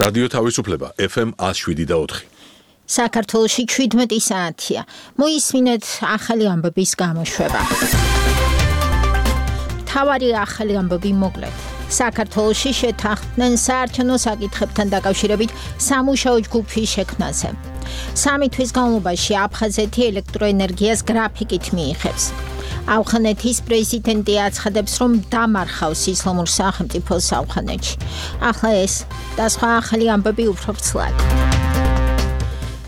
რადიო თავისუფლება FM 107.4. საქართველოში 17 საათია. მოისმინეთ ახალი ამბების გამოშვება. თავარი ახალი ამბები მოკლედ. საქართველოში შეთანხმდნენ საარჩევნო საკითხებთან დაკავშირებით სამუშაო ჯგუფის შექმნაზე. 3 თვის განმავლობაში აფხაზეთი ელექტროენერგიას გრაფიკით მიიღებს. ავღანეთის პრეზიდენტი აცხადებს, რომ დამარხავს ისლამურ სახელმწიფოს ავღანეთში. ახლა ეს და სხვა ახალი ამბები უფრო ვრცლად.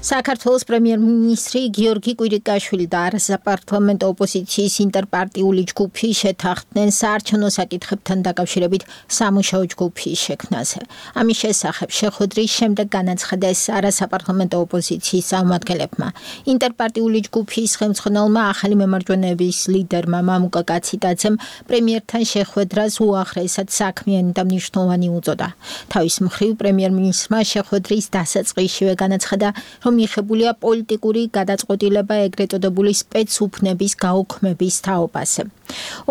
საქართველოს პრემიერ-მინისტრი გიორგი კვირიკაშვილი და არასაპარლამენტო ოპოზიციის ინტერპარტიული ჯგუფი შეთანხმდნენ საარჩევნო საკითხებთან დაკავშირებით სამუშაო ჯგუფის შექმნაზე. ამის შესახებ შეხვედრის შემდეგ განაცხადეს არასაპარლამენტო ოპოზიციის წარმომადგენლებმა. ინტერპარტიული ჯგუფის ხელმძღვანელმა ახალი მემარჯვენეების ლიდერმა მამუკა კაციტაძემ პრემიერთან შეხვედრას უაღრესად საქმიანი და მნიშვნელოვანი უწოდა. თავის მხრივ პრემიერ-მინისტრმა შეხვედრის დასაწყისშივე განაცხადა, რომ მიღებულია პოლიტიკური გადაწყვეტილება ეგრეთ წოდებული სპეცუფნების გაუქმების თაობაზე.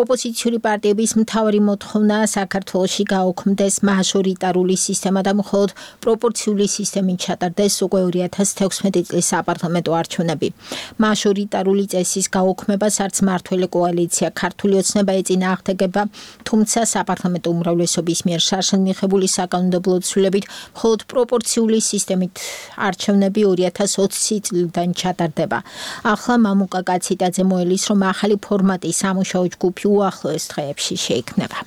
ოპოზიციური პარტიების მთავარი მოთხოვნა საქართველოში გაუქმდეს მაჟორიტარული სისტემა და მხოლოდ პროპორციული სისტემით ჩატარდეს უკვე 2016 წლის საპარლამენტო არჩევნები. მაჟორიტარული წესის გაუქმებას არც მმართველი კოალიცია ქართული ოცნება ეწინააღმდეგება, თუმცა საპარლამენტო უმრავლესობის მიერ შარშან მიღებული საკანონმდებლო ცვლილებით მხოლოდ პროპორციული სისტემით არჩევნები 2020 წლიდან ჩატარდება. ახლა მამუკა კაციტაძე მოელის, რომ ახალი ფორმატი სამუშაო ჯგუფი უახლოეს დღეებში შეიქმნება.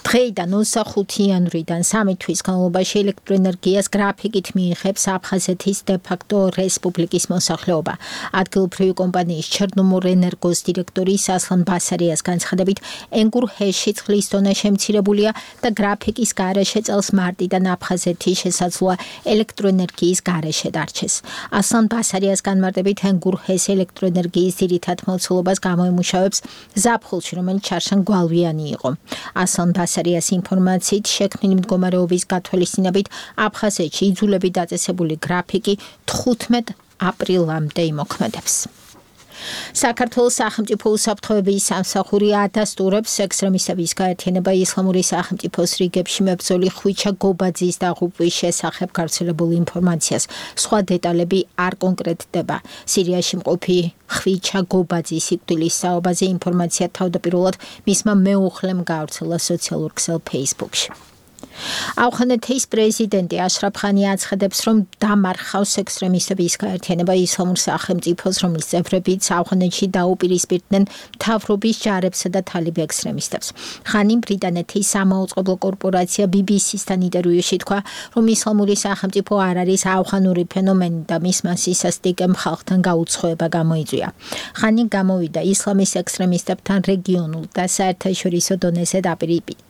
დღეიდან 25 იანვრიდან 3 თვის განმავლობაში ელექტროენერგიას გრაფიკით მიიღებს აფხაზეთის დე-ფაქტო რესპუბლიკის მოსახლეობა. ადგილობრივი კომპანიის ჩერნომორენერგოს დირექტორი ასლან ბასარიას განცხადებით, ენგურჰეში წყლის დონე შემცირებულია და გრაფიკის გარეშე წელს მარტიდან აფხაზეთი შესაძლოა ელექტროენერგიის გარეშე დარჩეს. ასლან ბასარიას განმარტებით, ენგურჰეს ელექტროენერგიის ძირითად მოცულობას გამოიმუშავებს ზაფხულში, რომელიც შარშან გვალვიანი იყო. ასლან ბასარიას ინფორმაციით შექმნილი მდგომარეობის გათვალისწინებით აფხაზეთში იძულებით დაწესებული გრაფიკი 15 აპრილამდე იმოქმედებს. საქართველოს სახელმწიფო უსაფრთხოების სამსახური ადასტურებს ექსტრემისტების გაერთიანება ისლამური სახელმწიფოს რიგებში მებრძოლი ხვიჩა გობაძის დაღუპვის შესახებ გავრცელებულ ინფორმაციას. სხვა დეტალები არ კონკრეტდება. სირიაში მყოფი ხვიჩა გობაძის სიკვდილის საუბარზე ინფორმაცია თავდაპირველად მისმა მეუღლემ გავრცელა სოციალურ ქსელ Facebook-ში. ავღანეთის პრეზიდენტი აშრაფ ხანი აცხადებს, რომ დამარხავს ექსტრემისტების გაერთიანება ისლამურ სახელმწიფოს, რომლის წევრებიც ავღანეთში დაუპირისპირდნენ მთავრობის ჯარებსა და თალიბ ექსტრემისტებს. ხანი ბრიტანეთის სამაუწყებლო კორპორაცია BBC-სთან ინტერვიუში თქვა, რომ ისლამური სახელმწიფო არ არის ავღანური ფენომენი და მისმა სისასტიკემ ხალხთან გაუცხოება გამოიწვია. ხანი გამოვიდა ისლამის ექსტრემისტებთან რეგიონულ და საერთაშორისო დონეზე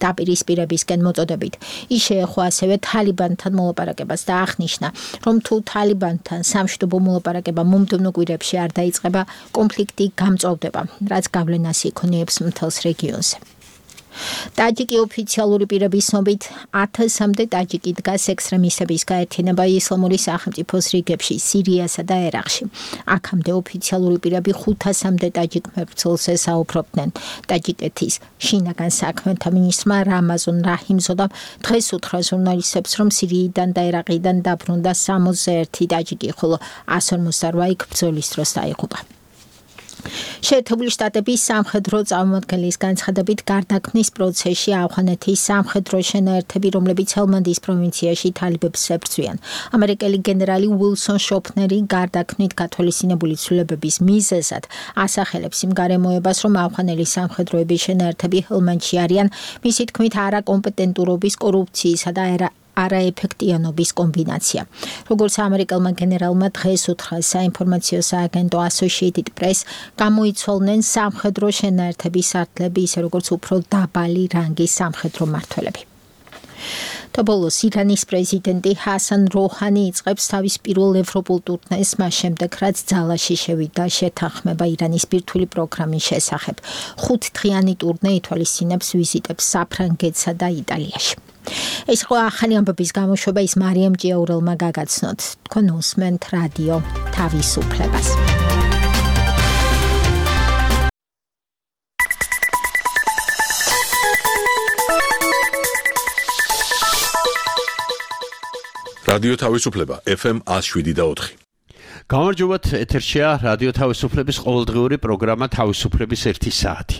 დაპირისპირებისკენ მოწოდებით. ის შეეხო ასევე თალიბანთან მოლაპარაკებას და აღნიშნა, რომ თუ თალიბანთან სამშვიდობო მოლაპარაკება მომდევნო კვირებში არ დაიწყება, კონფლიქტი გამწვავდება, რაც გავლენას იქონიებს მთელს რეგიონზე. ტაჯიკი ოფიციალური პირების ცნობით 1000-მდე ტაჯიკი დგას ექსტრემისტების გაერთიანება ისლამური სახელმწიფოს რიგებში სირიასა და ერაყში. აქამდე ოფიციალური პირები 500-მდე ტაჯიკ მებრძოლზე საუბრობდნენ. ტაჯიკეთის შინაგან საქმეთა მინისტრმა რამაზონ რაჰიმზოდამ დღეს უთხრა ჟურნალისტებს, რომ სირიიდან და ერაყიდან დაბრუნდა 61 ტაჯიკი, ხოლო 158 იქ ბრძოლის დროს დაიღუპა. შეერთებული შტატების სამხედრო წარმომადგენლის განცხადებით გარდაქმნის პროცესში ავღანეთის სამხედრო შენაერთები, რომლებიც ჰელმანდის პროვინციაში თალიბებს ებრძვიან. ამერიკელი გენერალი უილსონ შოფნერი გარდაქმნით გათვალისწინებული ცვლილებების მიზეზად ასახელებს იმ გარემოებას, რომ ავღანელი სამხედროების შენაერთები ჰელმანდში არიან, მისი თქმით არაკომპეტენტურობის, კორუფციისა და არაეფექტიანობის კომბინაცია. როგორც ამერიკელმა გენერალმა დღეს უთხრა საინფორმაციო სააგენტო Associated Press, გამოიცვალნენ სამხედრო შენაერთების სარდლები, ისე როგორც უფრო დაბალი რანგის სამხედრო მმართველები. და ბოლოს ირანის პრეზიდენტი ჰასან როჰანი იწყებს თავის პირველ ევროპულ ტურნეს მას შემდეგ, რაც ძალაში შევიდა შეთანხმება ირანის ბირთვული პროგრამის შესახებ. 5-დღიანი ტურნე ითვალისწინებს ვიზიტებს საფრანგეთსა და იტალიაში. ეს ხო ახალი ამბების გამოშვება ის მარიამ ჭიაურელმა გაგაცნოთ. თქვენ უსმენთ რადიო თავისუფლებას. რადიო თავისუფლება FM 107.4. გამარჯობათ, ეთერშია რადიო თავისუფლების ყოველდღიური პროგრამა თავისუფლების 1 საათი.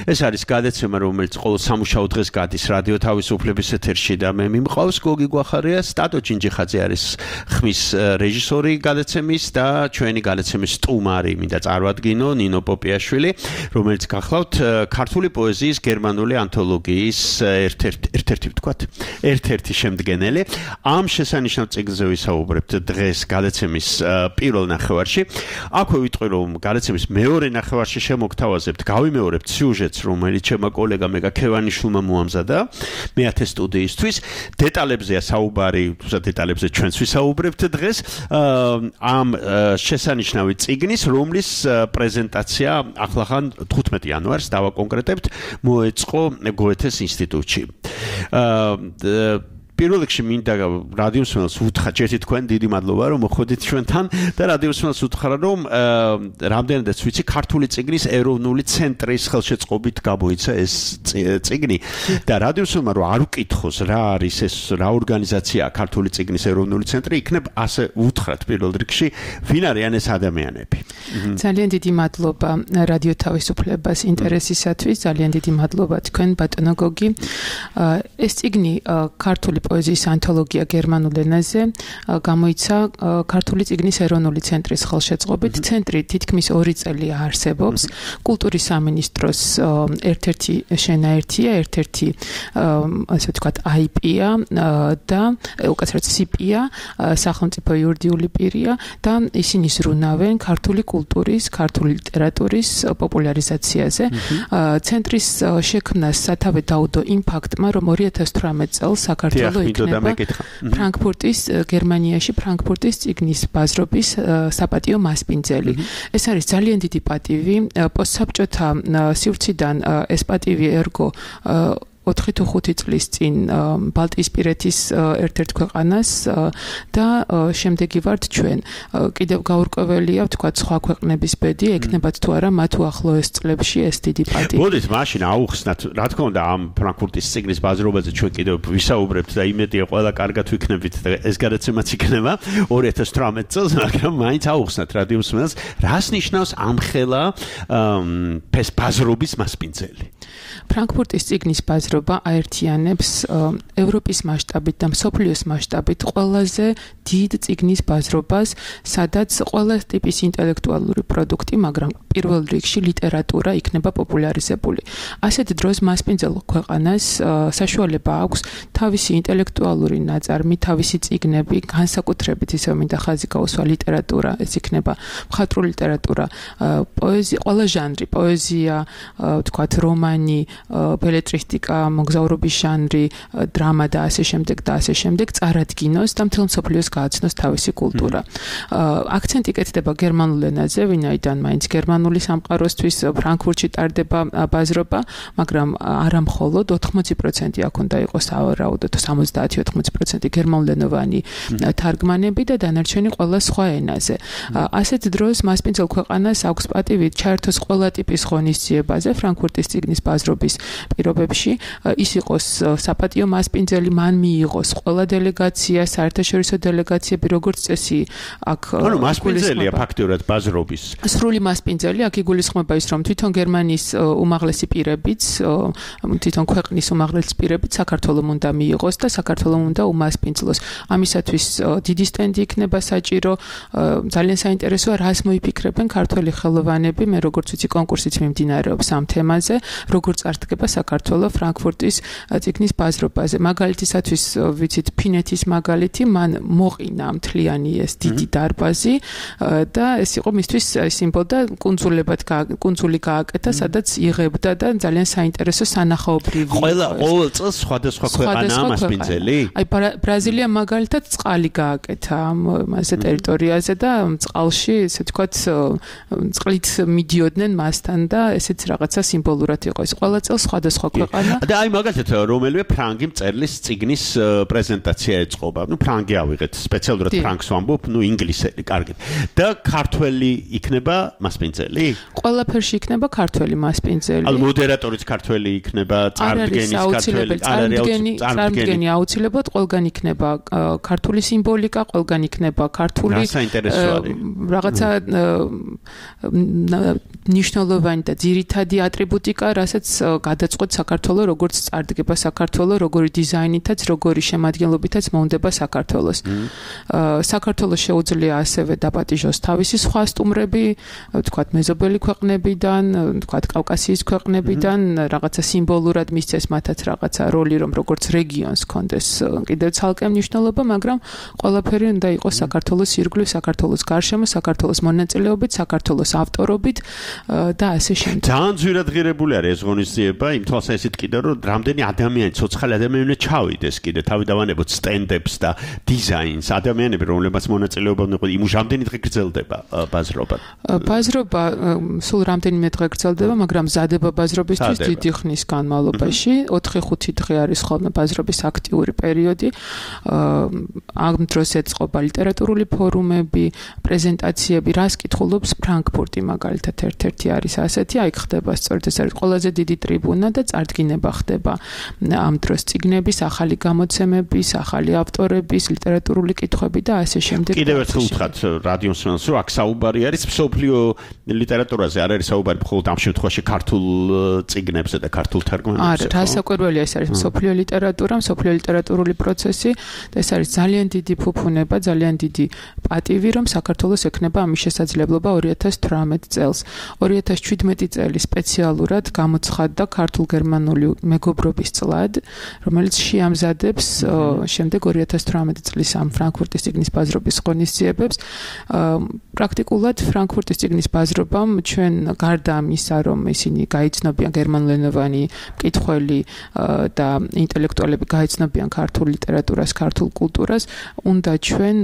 ეს არის გადაცემა, რომელიც ყოველ სამუშაო დღეს გადის რადიო თავისუფლების ეთერში და მე მიმყავს გოგი გვახარია, სტატო ჩინჯიხაძე არის ხმის რეჟისორი გადაცემის და ჩვენი გადაცემის სტუმარი მინდა წარვადგინო ნინო პოპიაშვილი, რომელიც გახლავთ ქართული პოეზიის გერმანული ანთოლოგიის ერთ-ერთი შემდგენელი. ამ შესანიშნავ წიგნზე ვისაუბრებთ დღეს გადაცემის პირველ ნახევარში. აქვე ვიტყვი, რომ გადაცემის მეორე ნახევარში შემოგთავაზებთ, გავიმეორებთ სიუჟეტს, რომელიც ჩემო კოლეგა მეგა ქევანიშვილმა მოამზადა მეათე სტუდიისთვის. დეტალებზეა საუბარი, თუმცა დეტალებზე ჩვენც ვისაუბრებთ დღეს. ამ შესანიშნავი წიგნის, რომლის პრეზენტაცია ახლახან 15 იანვარს დავაკონკრეტებთ, მოეწყო გოეთეს ინსტიტუტში. პირველ რიგში მინდა რადიოსმენელს უთხრა, ჯერთი თქვენ დიდი მადლობა, რომ მოხვედით ჩვენთან და რადიოსმენელს უთხრა, რომ რამდენადაც ვიცი, ქართული წიგნის ეროვნული ცენტრის ხელშეწყობით გამოიცა ეს წიგნი და რადიოსმენელმა რომ არ უკითხოს რა არის ეს, რა ორგანიზაციაა ქართული წიგნის ეროვნული ცენტრი, იქნებ ასე უთხრათ პირველ რიგში, ვინ არიან ეს ადამიანები. ძალიან დიდი მადლობა რადიო თავისუფლებას ინტერესისათვის, ძალიან დიდი მადლობა თქვენ ბატონო გოგი. ეს წიგნი ქართული პოეზიის ანთოლოგია გერმანულ ენაზე გამოიცა ქართული წიგნის ეროვნული ცენტრის ხელშეწყობით. ცენტრი თითქმის 2 წელი არსებობს. კულტურის სამინისტროს ერთ-ერთი შენაერთია, ერთ-ერთი ასე ვთქვათ IP-ა და უკაცრავად CP-ა, სახელმწიფო იურიდიული პირია და ისინი ზრუნავენ ქართული კულტურის, ქართული ლიტერატურის პოპულარიზაციაზე. ცენტრის შექმნას სათავე დაუდო იმ ფაქტმა, რომ 2018 წელს საქართველოს იქნება ფრანკფურტის გერმანიაში ფრანკფურტის წიგნის ბაზრობის საპატიო მასპინძელი. ეს არის ძალიან დიდი პატივი. პოსტსაბჭოთა სივრციდან ეს პატივი ერგო 4 თუ 5 წლის წინ ბალტიისპირეთის ერთ-ერთ ქვეყანას და შემდეგი ვართ ჩვენ. კიდევ გაურკვეველია, ვთქვათ, სხვა ქვეყნების ბედი, ეკნებათ თუ არა მათ უახლოეს წლებში ეს დიდი პატივი. მოდით მაშინ აუხსნათ, რა თქმა უნდა, ამ ფრანკფურტის წიგნის ბაზრობაზე ჩვენ კიდევ ვისაუბრებთ და იმედია ყველა კარგად ვიქნებით და ეს გადაცემაც იქნება 2018 წელს, მაგრამ მაინც აუხსნათ რადიოსმენელს, რას ნიშნავს ამხელა ბაზრობის მასპინძელი. ფრანკფურტის წიგნის ბაზრობა აერთიანებს ევროპის მასშტაბით და მსოფლიოს მასშტაბით ყველაზე დიდ წიგნის ბაზრობას, სადაც ყველა ტიპის ინტელექტუალური პროდუქტი, მაგრამ პირველ რიგში ლიტერატურა იქნება პოპულარიზებული. ასეთ დროს მასპინძელ ქვეყანას საშუალება აქვს თავისი ინტელექტუალური ნაწარმი, თავისი წიგნები, განსაკუთრებით ისე მინდა ხაზი გაუსვა ლიტერატურა, ეს იქნება მხატვრული ლიტერატურა, პოეზია, ყველა ჟანრი, პოეზია, ვთქვათ, რომანი, ბელებრისტიკა, მოგზაურობის ჟანრი, დრამა და ასე შემდეგ და ასე შემდეგ წარადგინოს და მთელ მსოფლიოს გააცნოს თავისი კულტურა. აქცენტი კეთდება გერმანულ ენაზე, ვინაიდან მაინც გერმანული სამყაროსთვის ფრანკფურტში ტარდება ბაზრობა, მაგრამ არა მხოლოდ 80% აქ უნდა იყოს სავარაუდოდ 70-80% გერმანულენოვანი თარგმანები და დანარჩენი ყველა სხვა ენაზე. ასეთ დროს მასპინძელ ქვეყანას აქვს პატივი ჩაერთოს ყველა ტიპის ღონისძიებაზე ფრანკფურტის წიგნის ბაზრობის პირობებში. ის იყოს საპატიო მასპინძელი, მან მიიღოს ყველა დელეგაცია, საერთაშორისო დელეგაციები, როგორც წესი, აქ ანუ მასპინძელია ფაქტურად ბაზრობის. სრული მასპინძელი, აქ იგულისხმება ის, რომ თვითონ გერმანიის უმაღლესი პირებიც, თვითონ ქვეყნის უმაღლესი პირებიც საქართველოს უნდა მიიღოს და საქართველოს უნდა უმასპინძლოს. ამისათვის დიდი სტენდი იქნება საჭირო, ძალიან საინტერესოა, რას მოიფიქრებენ ქართველი ხელოვანები, მე როგორც ვიცი, კონკურსიც მიმდინარეობს ამ თემაზე, როგორც წარდგება საქართველოს ფრანკფურტის წიგნის ბაზრობაზე. მაგალითისათვის ვიცით ფინეთის მაგალითი, მან მოყინა მთლიანი ეს დიდი დარბაზი და ეს იყო მისთვის სიმბოლო და კუნძული გააკეთა, სადაც იღებდა და ძალიან საინტერესო სანახაობრივი. ყოველ წელს სხვადასხვა ქვეყანაა მასპინძელი? აი ბრაზილია მაგალითად წყალი გააკეთა მასზე ტერიტორიაზე და წყალში, ესე ვთქვათ, წყლით მიდიოდნენ მასთან და ესეც რაღაცა სიმბოლურად იყო. ეს ყველა წელს სხვადასხვა ქვეყანა და და აი მაგალითად რომელიმე ფრანგი მწერლის წიგნის პრეზენტაცია ეწყობა. ფრანგი ავიღეთ, სპეციალურად ფრანგს ვამბობ, ინგლისელი, კარგად. და ქართველი იქნება მასპინძელი? ყველაფერში იქნება ქართველი მასპინძელი. ანუ მოდერატორიც ქართველი იქნება, წარდგენის ქართველი, წარდგენი აუცილებლად ყველგან იქნება ქართული სიმბოლიკა, ყველგან იქნება ქართული რაღაცა ნიშნულოვანი და ძირითადი ატრიბუტიკა, რასაც გადაწყვეტ საქართველოს როგორც წარდგება საქართველოს, როგორი დიზაინითაც, როგორი შემადგენლობითაც მოუნდება საქართველოს. საქართველოს შეუძლია ასევე დაპატიჟოს თავისი სხვა სტუმრები, თქვათ მეზობელი ქვეყნებიდან, თქვათ კავკასიის ქვეყნებიდან, რაღაცა სიმბოლურად მისცეს მათაც რაღაცა როლი, რომ როგორც რეგიონს კონდეს კიდევ ცალკე მნიშვნელობა, მაგრამ ყველაფერი უნდა იყოს საქართველოს ირგვლივ, საქართველოს გარშემო, საქართველოს მონაწილეობით, საქართველოს ავტორობით და ასე შემდეგ. ძალიან ძვირად ღირებული არის ეს ღონისძიება, იმ თვალსაზრისით კიდევ რომ რამდენი ადამიანი, ცოცხალი ადამიანი უნდა ჩავიდეს კიდე, თავი დავანებოთ სტენდებს და დიზაინს, ადამიანები, რომლებსაც მონაწილეობა უნდა იყოს, იმუშ რამდენი დღე გრძელდება ბაზრობა? ბაზრობა სულ რამდენიმე დღე გრძელდება, მაგრამ მზადება ბაზრობისთვის დიდი ხნის განმავლობაში, 4-5 დღე არის ხოლმე ბაზრობის აქტიური პერიოდი. ამ დროს ეწყობა ლიტერატურული ფორუმები, პრეზენტაციები, რას კითხულობს ფრანკფურტი მაგალითად ერთ-ერთი არის ასეთი, აი ხდება სწორედ ეს არის ყველაზე დიდი ტრიბუნა და წარდგინება ხდება ამ დროს წიგნების, ახალი გამოცემების, ახალი ავტორების, ლიტერატურული კითხვები და ასე შემდეგ. კიდევ ერთხელ უთხრათ რადიოს მსმენელს, რომ აქ საუბარი არის მსოფლიო ლიტერატურაზე, არ არის საუბარი მხოლოდ ამ შემთხვევაში ქართულ წიგნებზე და ქართულ თარგმანებზე. არა, რასაკვირველია, ეს არის მსოფლიო ლიტერატურა, მსოფლიო ლიტერატურული პროცესი და ეს არის ძალიან დიდი ფუფუნება, ძალიან დიდი პატივი, რომ საქართველოს ექნება ამის შესაძლებლობა 2018 წელს. 2017 წელი სპეციალურად გამოცხადდა ქართულ-გერმანული მეგობრობის წლად, რომელიც შეამზადებს შემდეგ 2018 წლის ამ ფრანკფურტის წიგნის ბაზრობის ღონისძიებებს. პრაქტიკულად ფრანკფურტის წიგნის ბაზრობამ ჩვენ გარდა ამისა, რომ ისინი გაიცნობიან გერმანულენოვანი მკითხველი და ინტელექტუალები გაიცნობიან ქართულ ლიტერატურას, ქართულ კულტურას, უნდა ჩვენ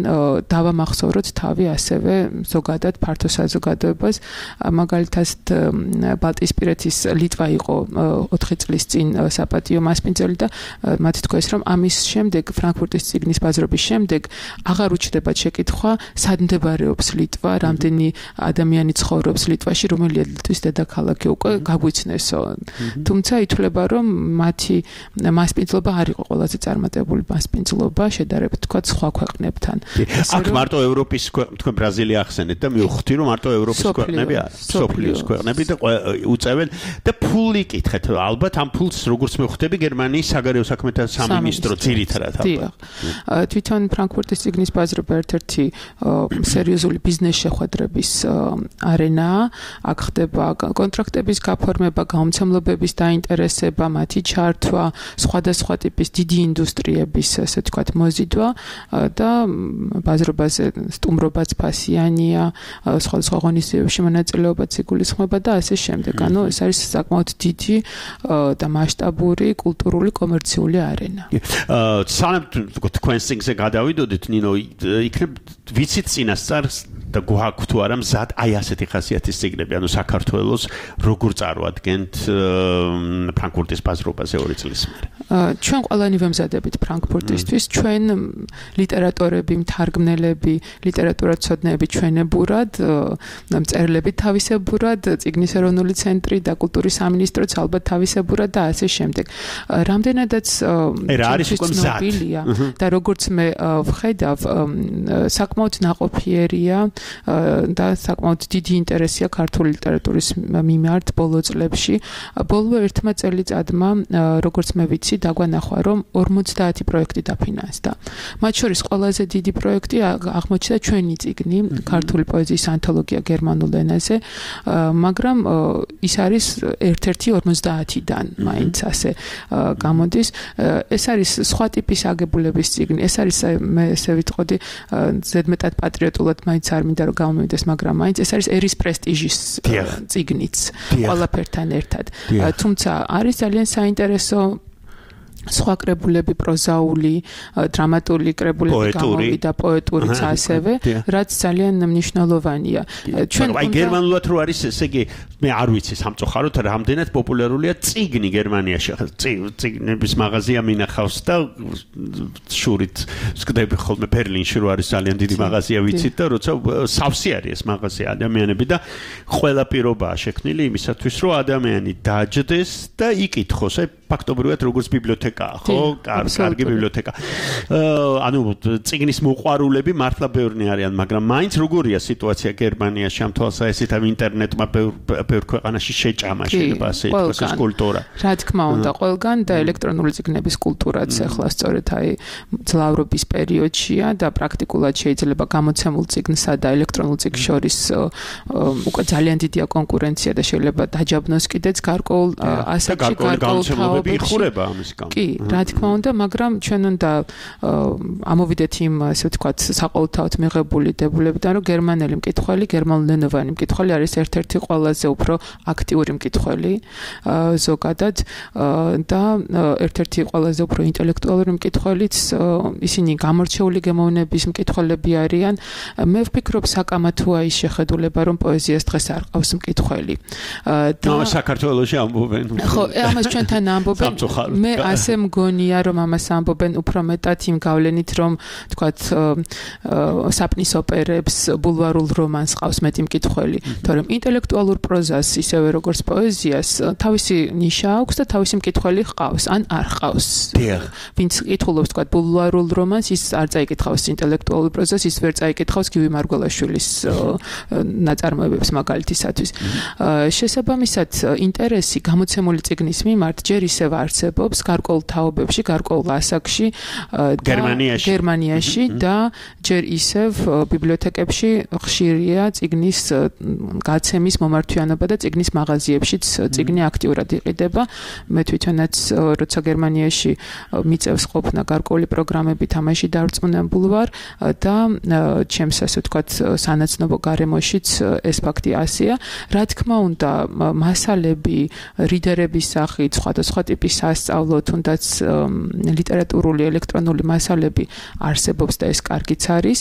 დავამახსოვროთ თავი ასევე ზოგადად ფართო საზოგადოებას. მაგალითად ბალტიისპირეთის ლიტვა იყო 4 წლის წინ საპატიო მასპინძელი და მათ თქვეს, რომ ამის შემდეგ ფრანკფურტის წიგნის ბაზრობის შემდეგ აღარ უჩნდებათ შეკითხვა, სად მდებარეობს ლიტვა, რამდენი ადამიანი ცხოვრობს ლიტვაში, რომელია ლიტვის დედაქალაქი, უკვე გაგვიცნესო. თუმცა ითვლება, რომ მათი მასპინძლობა არ იყო ყველაზე წარმატებული მასპინძლობა, შედარებით თქვა სხვა ქვეყნებთან. აქ მარტო ევროპის თქვენ ბრაზილია ახსენეთ და მივხვდი, რომ მარტო ევროპის ქვეყნები არა, სოფლიოს ქვეყნები და უწევენ და ფული კითხეთ, ალბათ ამ ფულს როგორც მივხვდები გერმანიის საგარეო საქმეთა სამინისტრო ძირითადად ალბათ. თვითონ ფრანკფურტის წიგნის ბაზრობა ერთ-ერთი სერიოზული ბიზნეს შეხვედრების არენაა. აქ ხდება კონტრაქტების გაფორმება, გამომცემლობების დაინტერესება, მათი ჩართვა, სხვადასხვა ტიპის დიდი ინდუსტრიების, ასე ვთქვათ, მოზიდვა და ბაზრობაზე სტუმრობაც ფასიანია, სხვადასხვა ღონისძიებებში მონაწილეობაც იგულისხმება და ასე შემდეგ. ანუ ეს არის საკმაოდ დიდი და მასშტაბური კულტურული კომერციული არენა. სანამ თქვენს წიგნზე გადავიდოდით, ნინო, იქნებ ვიცით წინასწარ და გვაქვს თუ არა მზად აი ასეთი ხასიათის წიგნები, ანუ საქართველოს როგორ წარვადგენთ ფრანკფურტის ბაზრობაზე 2 წლის მერე. ჩვენ ყველანი ვემზადებით ფრანკფურტისთვის, ჩვენ ლიტერატორები, მთარგმნელები, ლიტერატურაცოდნეები ჩვენებურად, მწერლები თავისებურად, წიგნის ეროვნული ცენტრი და კულტურის სამინისტროც ალბათ თავისებურად და ასე შემდეგ. რამდენადაც ცნობილია და როგორც მე ვხედავ, საკმაოდ ნაყოფიერია და საკმაოდ დიდი ინტერესია ქართული ლიტერატურის მიმართ ბოლო წლებში. ბოლო ერთმა წელიწადმა, როგორც მე ვიცი, დაგვანახვა, რომ 50 პროექტი დაფინანსდა. მათ შორის ყველაზე დიდი პროექტი აღმოჩნდა ჩვენი წიგნი, ქართული პოეზიის ანთოლოგია გერმანულ ენაზე, მაგრამ ის არის ერთ-ერთი 50-დან, მაინც ასე გამოდის. ეს არის სხვა ტიპის აგებულების წიგნი. ეს არის მე ესე ვიტყოდი, ზედმეტად პატრიოტულად მაინც არ მინდა რომ გამომივიდეს, მაგრამ მაინც ეს არის ერის პრესტიჟის წიგნიც ყველაფერთან ერთად. თუმცა არის ძალიან საინტერესო სხვა კრებულები პროზაული, დრამატული კრებულები გამოვიდა, პოეტურიც ასევე, რაც ძალიან მნიშვნელოვანია. ჩვენ აი გერმანულად რო არის, ესე იგი მე არ ვიცი სამწუხაროდ რამდენად პოპულარულია წიგნი გერმანიაში. წიგნების მაღაზია მინახავს და შურით ვსკდები ხოლმე ბერლინში რო არის ძალიან დიდი მაღაზია ვიცით და როცა სავსე არის ეს მაღაზია ადამიანები და ყველა პირობაა შექმნილი იმისათვის რომ ადამიანი დაჯდეს და იკითხოს აი ფაქტობრივად როგორც ბიბლიოთეკაა, ხო? კარგი ბიბლიოთეკა. ანუ წიგნის მოყვარულები მართლა ბევრნი არიან, მაგრამ მაინც როგორია სიტუაცია გერმანიაში ამ თვალსაზრისით ამ ინტერნეტმა ბევრ ქვეყანაში შეჭამა შეიძლება ასე ითქვას ეს კულტურა. რა თქმა უნდა, ყველგან და ელექტრონული წიგნების კულტურაც ახლა სწორედ აი ძლავრობის პერიოდშია და პრაქტიკულად შეიძლება გამოცემულ წიგნსა და ელექტრონულ წიგნს შორის უკვე ძალიან დიდია კონკურენცია და შეიძლება დაჯაბნოს კიდეც გარკვეულ ასაკში გარკვეულ იხურება ამის გამო. კი, რა თქმა უნდა, მაგრამ ჩვენ უნდა ამოვიდეთ იმ, ასე ვთქვათ, საყოველთაოდ მიღებული დებულებიდან, რომ გერმანელი მკითხველი, გერმანულენოვანი მკითხველი არის ერთ-ერთი ყველაზე უფრო აქტიური მკითხველი ზოგადად და ერთ-ერთი ყველაზე უფრო ინტელექტუალური მკითხველიც ისინი გამორჩეული გემოვნების მკითხველები არიან. მე ვფიქრობ საკამათოა ის შეხედულება, რომ პოეზიას დღეს არ ყავს მკითხველი. და საქართველოში ამბობენ. ხო, ამას ჩვენთან ამბობენ. მე ასე მგონია რომ ამას ამბობენ უფრო მეტად იმ გავლენით რომ თქვათ საპნის ოპერებს, ბულვარულ რომანს ყავს მეტი მკითხველი, თორემ ინტელექტუალურ პროზას ისევე როგორც პოეზიას თავისი ნიშა აქვს და თავისი მკითხველი ყავს, ან არ ყავს. ვინც კითხულობს თქვათ ბულვარულ რომანს, ის არ წაიკითხავს ინტელექტუალურ პროზას, ის ვერ წაიკითხავს გივი მარგველაშვილის ნაწარმოებებს მაგალითისათვის. შესაბამისად, ინტერესი გამოცემული წიგნის მიმართ ჯერ ისევ არსებობს გარკვეულ თაობებში, გარკვეულ ასაკში გერმანიაში და ჯერ ისევ ბიბლიოთეკებში ხშირია წიგნის გაცემის მომართვიანობა და წიგნის მაღაზიებშიც წიგნი აქტიურად იყიდება. მე თვითონაც როცა გერმანიაში მიწევს ყოფნა გარკვეული პროგრამები თამაში დარწმუნებული ვარ და ჩემს ასე ვთქვათ სანაცნობო გარემოშიც ეს ფაქტი ასეა. რა თქმა უნდა, მასალები რიდერების სახით, სხვადასხვა ტიპის სასწავლო, თუნდაც ლიტერატურული, ელექტრონული მასალები არსებობს და ეს კარგიც არის.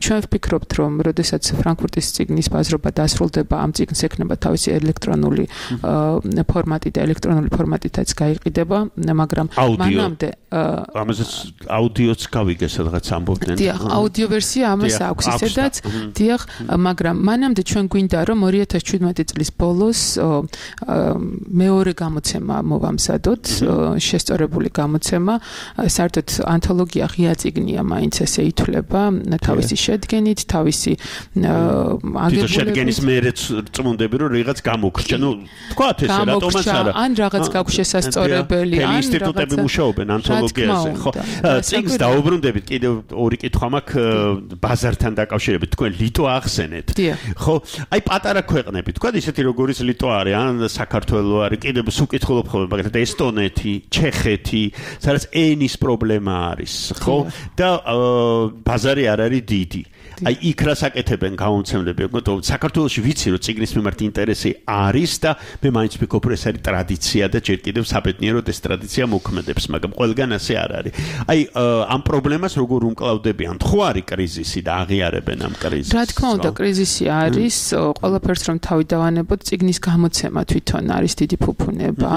ჩვენ ვფიქრობთ, რომ როდესაც ფრანკფურტის წიგნის ბაზრობა დასრულდება, ამ წიგნს ექნება თავისი ელექტრონული ფორმატი და ელექტრონული ფორმატითაც გაიყიდება, მაგრამ მანამდე ამასაც აუდიოც გავიგე სადღაც ამბობდნენ. დიახ, აუდიო ვერსია ამას აქვს ისედაც, დიახ, მაგრამ მანამდე ჩვენ გვინდა რომ 2017 წლის ბოლოს მეორე გამოცემა მოვამზადოთ, შესწორებული გამოცემა, საერთოდ ანთოლოგია ღია წიგნია, მაინც ესე ითვლება, თავისი შედგენით, თავისი აგებულებით. შედგენის მერეც წმუნდები რომ რაღაც გამოგრჩა, ნუ თქვათ ესე რატომაც არა. ან რაღაც გაქვს შესასწორებელი, ან ინსტიტუტები მუშაობენ ანთოლოგიაზე, ხო? წიგნს დაუბრუნდებით, კიდევ ორი კითხვა მაქვს ბაზართან დაკავშირებით, თქვენ ლიტვა ახსენეთ. ხო? აი პატარა ქვეყნები, თქვათ ისეთი როგორიც ლიტვა არის, ან საქართველო არის, კიდევ სუკითხულობ ხოლმე, მაგალითად ესტონეთი, ჩეხეთი, სადაც ენის პრობლემა არის, ხო? და ბაზარი არ არის დიდი. აი იქ რა საკეთებენ გამომცემლები, საქართველოში ვიცი რომ წიგნის მიმართ ინტერესი არის და მე მაინც ვფიქრობ ეს არის ტრადიცია და ჯერ კიდევ საბედნიეროდ ეს ტრადიცია მოქმედებს, მაგრამ ყველგან ასე არ არის. აი ამ პრობლემას როგორ უმკლავდებიან? ხო არის კრიზისი და აღიარებენ ამ კრიზისს? რა თქმა უნდა, კრიზისი არის, ყველაფერს რომ თავი დავანებოთ, წიგნის გამოცემა თვითონ არის დიდი ფუფუნება.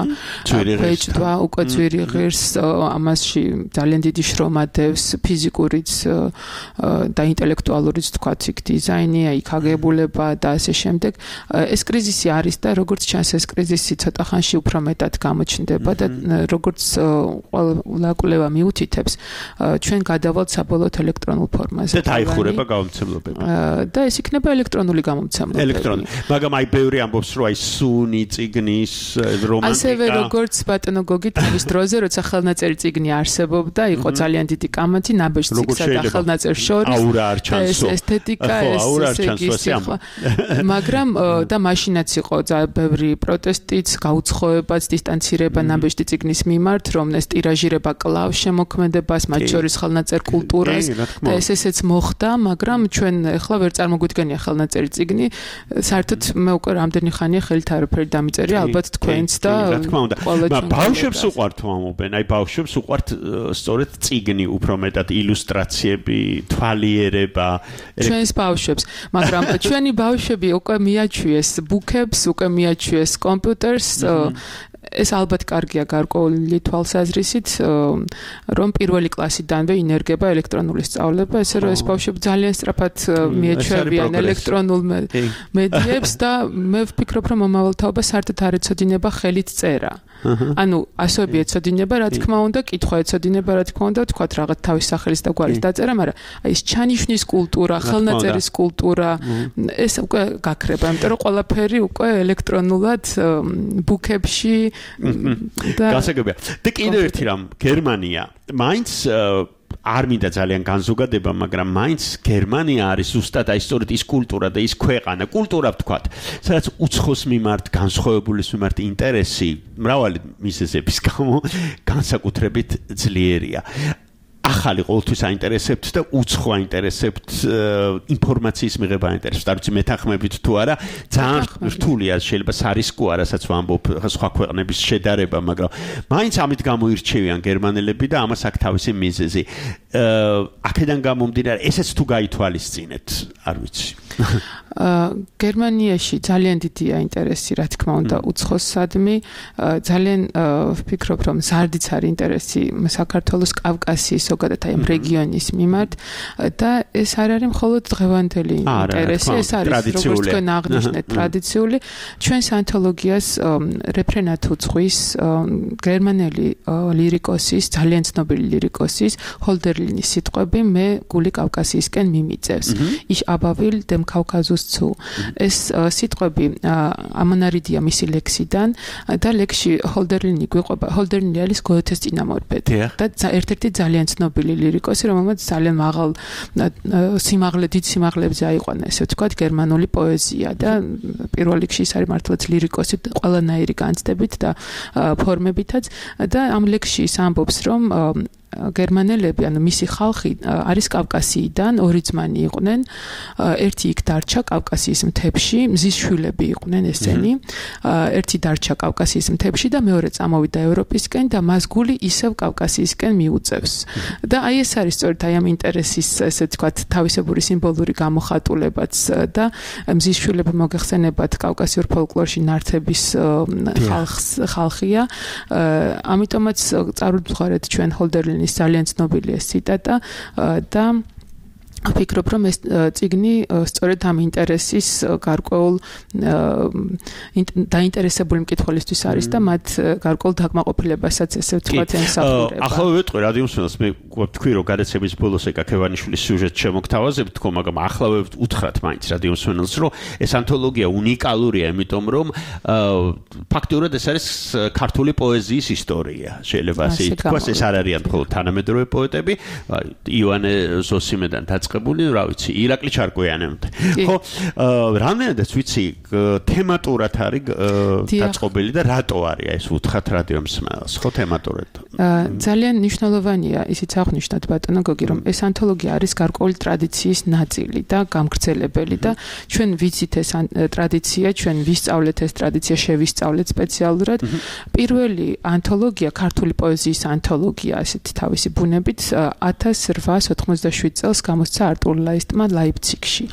ბეჭდვა უკვე ძვირი ღირს, ამასში ძალიან დიდი შრომა დევს ფიზიკურიც და ინტელექტუალური თქვათ იქ დიზაინია, იქ აგებულება და ასე შემდეგ. ეს კრიზისი არის და როგორც ჩანს ეს კრიზისი ცოტა ხანში უფრო მეტად გამოჩნდება და როგორც ყველა კვლევა მიუთითებს, ჩვენ გადავალთ საბოლოოდ ელექტრონულ ფორმაზე. და დაიხურება გამომცემლობები. და ეს იქნება ელექტრონული გამომცემლობები. ელექტრონული. მაგრამ აი ბევრი ამბობს რომ აი სუნი წიგნის რომანტიკა. ასევე როგორც ბატონო გოგი თავის დროზე, როცა ხელნაწერი წიგნი არსებობდა, იყო ძალიან დიდი კამათი ნაბეჭ წიგნსა და ხელნაწერს შორის. აურა არ ჩანს ეს ესთეტიკა მაგრამ და მაშინაც იყო ბევრი პროტესტიც, გაუცხოებაც, დისტანცირება ნაბეჭდი წიგნის მიმართ, რომ ეს ტირაჟირება კლავს შემოქმედებას, მათ შორის ხელნაწერ კულტურას და ესეც მოხდა, მაგრამ ჩვენ ახლა ვერ წარმოგვიდგენია ხელნაწერი წიგნი, საერთოდ მე უკვე რამდენი ხანია ხელით არაფერი დამიწერია, ალბათ თქვენც და ბავშვებს უყვართ მომობენ, აი ბავშვებს უყვართ სწორედ წიგნი უფრო მეტად ილუსტრაციები, თვალიერება ჩვენს ბავშვებს, მაგრამ ჩვენი ბავშვები უკვე მიაჩვიეს ბუქებს, უკვე მიაჩვიეს კომპიუტერს, ეს ალბათ კარგია გარკვეული თვალსაზრისით, რომ პირველი კლასიდანვე ინერგება ელექტრონული სწავლება, ესე რომ ეს ბავშვები ძალიან სწრაფად მიეჩვევიან ელექტრონულ მედიებს და მე ვფიქრობ, რომ მომავალთაობა საერთოდ არ ეცოდინება ხელით წერა. ანუ ასოები ეცოდინება, რა თქმა უნდა, კითხვა ეცოდინება, რა თქმა უნდა, თქვათ რაღაც თავის სახელის და გვარის დაწერა, მაგრამ აი ეს ჩანიშვნის კულტურა, ხელნაწერის კულტურა, ეს უკვე გაქრება, იმიტომ რომ ყველაფერი უკვე ელექტრონულად ბუქებში გასაგებია. და კიდევ ერთი რამ, გერმანია, მაინც არ მინდა ძალიან განზოგადება, მაგრამ მაინც გერმანია არის ზუსტად აი სწორედ ის კულტურა და ის ქვეყანა, კულტურა ვთქვათ, სადაც უცხოს მიმართ, განსხვავებულის მიმართ ინტერესი მრავალი მიზეზების გამო განსაკუთრებით ძლიერია. ახალი ყოველთვის აინტერესებთ და უცხო აინტერესებთ ინფორმაციის მიღება აინტერესებთ. არ ვიცი მეთანხმებით თუ არა, ძალიან რთულია შეიძლება სარისკო არასაც ვამბობ სხვა ქვეყნების შედარება, მაგრამ მაინც ამით გამოირჩევიან გერმანელები და ამას აქვს თავისი მიზეზი. აქედან გამომდინარე, ესეც თუ გაითვალისწინეთ, არ ვიცი. გერმანიაში ძალიან დიდია ინტერესი, რა თქმა უნდა, უცხოსადმი, ძალიან ვფიქრობ, რომ ზარდიც არის ინტერესი საქართველოს კავკასიის ზოგადად აი ამ რეგიონის მიმართ და ეს არ არის მხოლოდ დღევანდელი ინტერესი, ეს არის როგორც თქვენ აღნიშნეთ ტრადიციული. ჩვენს ანთოლოგიას რეფრენად უძღვის გერმანელი ლირიკოსის, ძალიან ცნობილი ლირიკოსის ჰოლდერლინის სიტყვები მე გული კავკასიისკენ მიმიწევს. Ich aber will dem Kaukasus zu. ეს სიტყვები ამონარიდია მისი ლექსიდან და ლექსში ჰოლდერლინი გვიყვება. ჰოლდერლინი არის გოეთეს წინამორბედი და ერთ-ერთი ძალიან ცნობილი ლირიკოსი, რომელმაც ძალიან მაღალ დიდ სიმაღლებზე აიყვანა, ესე ვთქვათ, გერმანული პოეზია და პირველ რიგში ის არის მართლაც ლირიკოსი ყველანაირი განცდებით და ფორმებითაც და ამ ლექსში ის ამბობს, რომ გერმანელები, ანუ მისი ხალხი არის კავკასიიდან, ორი ძმანი იყვნენ, ერთი იქ დარჩა კავკასიის მთებში, მზის შვილები იყვნენ ესენი, ერთი დარჩა კავკასიის მთებში და მეორე წამოვიდა ევროპისკენ და მას გული ისევ კავკასიისკენ მიუწევს. და აი ეს არის სწორედ აი ამ ინტერესის, ესე ვთქვათ, თავისებური სიმბოლური გამოხატულებაც და მზის შვილები მოგეხსენებათ კავკასიურ ფოლკლორში ნართების ხალხია. ამიტომაც წარუდგარეთ ჩვენ ჰოლდერლინი ძალიან ცნობილი ეს ციტატა და ვფიქრობ, რომ ეს წიგნი სწორედ ამ ინტერესის გარკვეულ დაინტერესებული მკითხველისთვის არის და მათ გარკვეულ დაკმაყოფილებასაც ესე ვთქვათ ემსახურება. ახლა ვეტყვი რადიომსმენელს, მე ვთქვი, რომ გადაცემის ბოლოს ეკაკევანიშვილის სიუჟეტს შემოგთავაზებთ თქო, მაგრამ ახლა უთხრათ მაინც რადიომსმენელს, რომ ეს ანთოლოგია უნიკალურია, იმიტომ რომ ფაქტურად ეს არის ქართული პოეზიის ისტორია. შეიძლება ასე ითქვას, ეს არ არიან მხოლოდ თანამედროვე პოეტები, ივანე ზოსიმედან დაწყებული, რა ვიცი, ირაკლი ჩარკვიანამდე. ხო, რამდენადაც ვიცი, თემატურად არის დაწყობილი და რატო არის ეს უთხრათ რადიომსმენელს, ხო, თემატურად. ძალიან მნიშვნელოვანია ისიც აღნიშნოთ ბატონო გოგი, რომ ეს ანთოლოგია არის გარკვეული ტრადიციის ნაწილი და გამგრძელებელი და ჩვენ ვიცით ეს ტრადიცია, ჩვენ ვისწავლეთ ეს ტრადიცია, შევისწავლეთ სპეციალურად. პირველი ანთოლოგია, ქართული პოეზიის ანთოლოგია, ასეთი თავისი ბუნებით 1887 წელს გამოსცა არტურ ლაისტმა ლაიფციგში.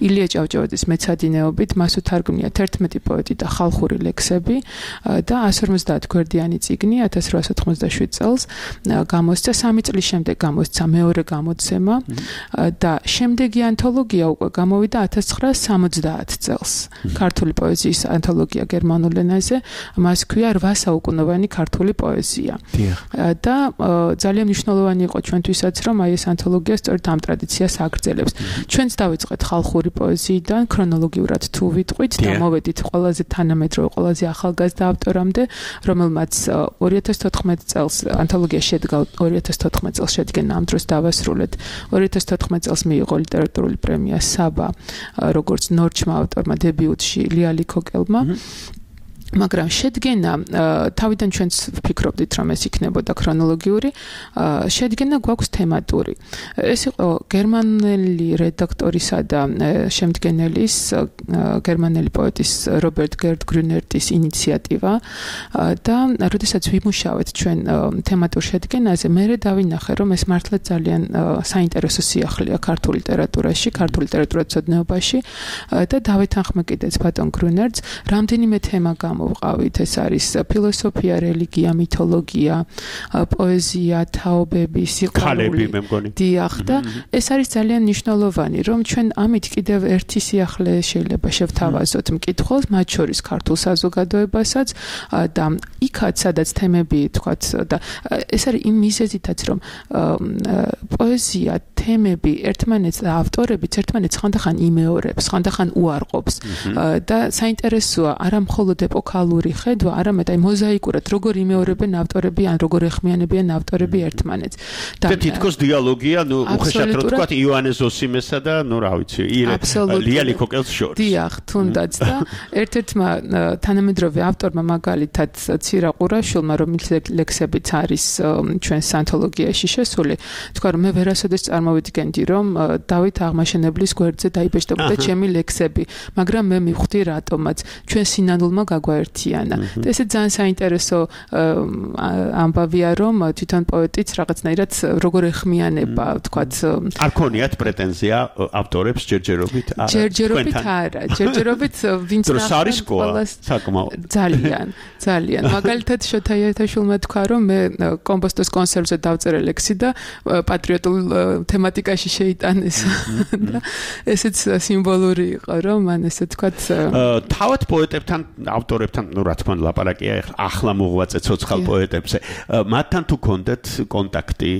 ილია ჭავჭავაძის მეცადინეობით მას უთარგმნია 11 პოეტი და ხალხური ლექსები და 150 გვერდიანი წიგნი 1887 წელს გამოსცა, 3 წლის შემდეგ გამოსცა მეორე გამოცემა და შემდეგი ანთოლოგია უკვე გამოვიდა 1970 წელს. ქართული პოეზიის ანთოლოგია გერმანულ ენაზე, მას ქვია 8 საუკუნოვანი ქართული პოეზია. და ძალიან მნიშვნელოვანი იყო ჩვენთვისაც, რომ აი ეს ანთოლოგია სწორედ ამ ტრადიციას აგრძელებს. ჩვენც დავიწყეთ ხალხური პოეზიიდან, ქრონოლოგიურად თუ ვიტყვით და მოვედით ყველაზე თანამედროვე, ყველაზე ახალგაზრდა ავტორამდე, რომელმაც 2014 წელს ანთოლოგია შედგა 2014 წელს შედგენა ამ დროს დავასრულეთ 2014 წელს მიიღო ლიტერატურული პრემია საბა როგორც ნორჩმა ავტორმა დებიუტში ლიალი კოკელმა მაგრამ შედგენა თავიდან ჩვენც ვფიქრობდით რომ ეს იქნებოდა ქრონოლოგიური შედგენა გვაქვს თემატური ეს იყო გერმანელი რედაქტორისა და შემდგენელის გერმანელი პოეტის რობერტ გერდ გრუნერტის ინიციატივა და როდესაც ვიმუშავეთ ჩვენ თემატურ შედგენაზე მე დავინახე რომ ეს მართლა ძალიან საინტერესო სიახლეა ქართულ ლიტერატურაში ქართულ ლიტერატურაცოდნეობაში და დავეთანხმე კიდეც ბატონ გრუნერტს რამდენიმე თემა ვყავით ეს არის ფილოსოფია, რელიგია, მითოლოგია, პოეზია, თაობები, სიყვარული. დიახ და ეს არის ძალიან მნიშვნელოვანი, რომ ჩვენ ამით კიდევ ერთი სიახლე შეიძლება შევთავაზოთ მკითხველს, მათ შორის ქართულ საზოგადოებასაც და იქაც სადაც თემები თქვათ და ეს არის იმ მიზეზითაც რომ პოეზია, თემები ერთმანეთს და ავტორებიც ერთმანეთს ხანდახან იმეორებს, ხანდახან უარყოფს და საინტერესოა არა მხოლოდ ეკოლოგიური ხედვა, არამედ აი მოზაიკურად როგორ იმეორებენ ავტორები ან როგორ ეხმიანებიან ავტორები ერთმანეთს. და თითქოს დიალოგია, ნუ უხეშად რო თქვა იოანე ზოსიმესა და ნუ რა ვიცი, ლიალი კოკელს შორის. დიახ, თუნდაც და ერთ-ერთმა თანამედროვე ავტორმა მაგალითად ცირა ყურაშვილმა რომელიც ლექსებიც არის ჩვენს ანთოლოგიაში შესული, თქვა რომ მე ვერასოდეს წარმოვიდგენდი რომ დავით აღმაშენებლის გვერდზე დაიბეჭდებოდა ჩემი ლექსები, მაგრამ მე მივხვდი რატომაც ჩვენ სინანულმა გაგვაერთიანა. და ესე ძალიან საინტერესო ამბავია რომ თვითონ პოეტიც რაღაცნაირად როგორ ეხმიანება, თქვათ არ ქონიათ პრეტენზია ავტორებს ჯერჯერობით არა. ჯერჯერობით არა, ჯერჯერობით ვინც ნახავს საკმაოდ ძალიან მაგალითად შოთა იათაშვილმა თქვა რომ მე კომპოსტოს კონსერვზე დავწერე ლექსი და პატრიოტულ თემატიკაში შეიტანეს და ესეც სიმბოლური იყო რომ მან ესე თქვათ თავად პოეტებთან ავტორებთან ნუ რა თქმა უნდა ლაპარაკია ახლა მოღვაწე ცოცხალ პოეტებზე მათთან თუ კონდეთ კონტაქტი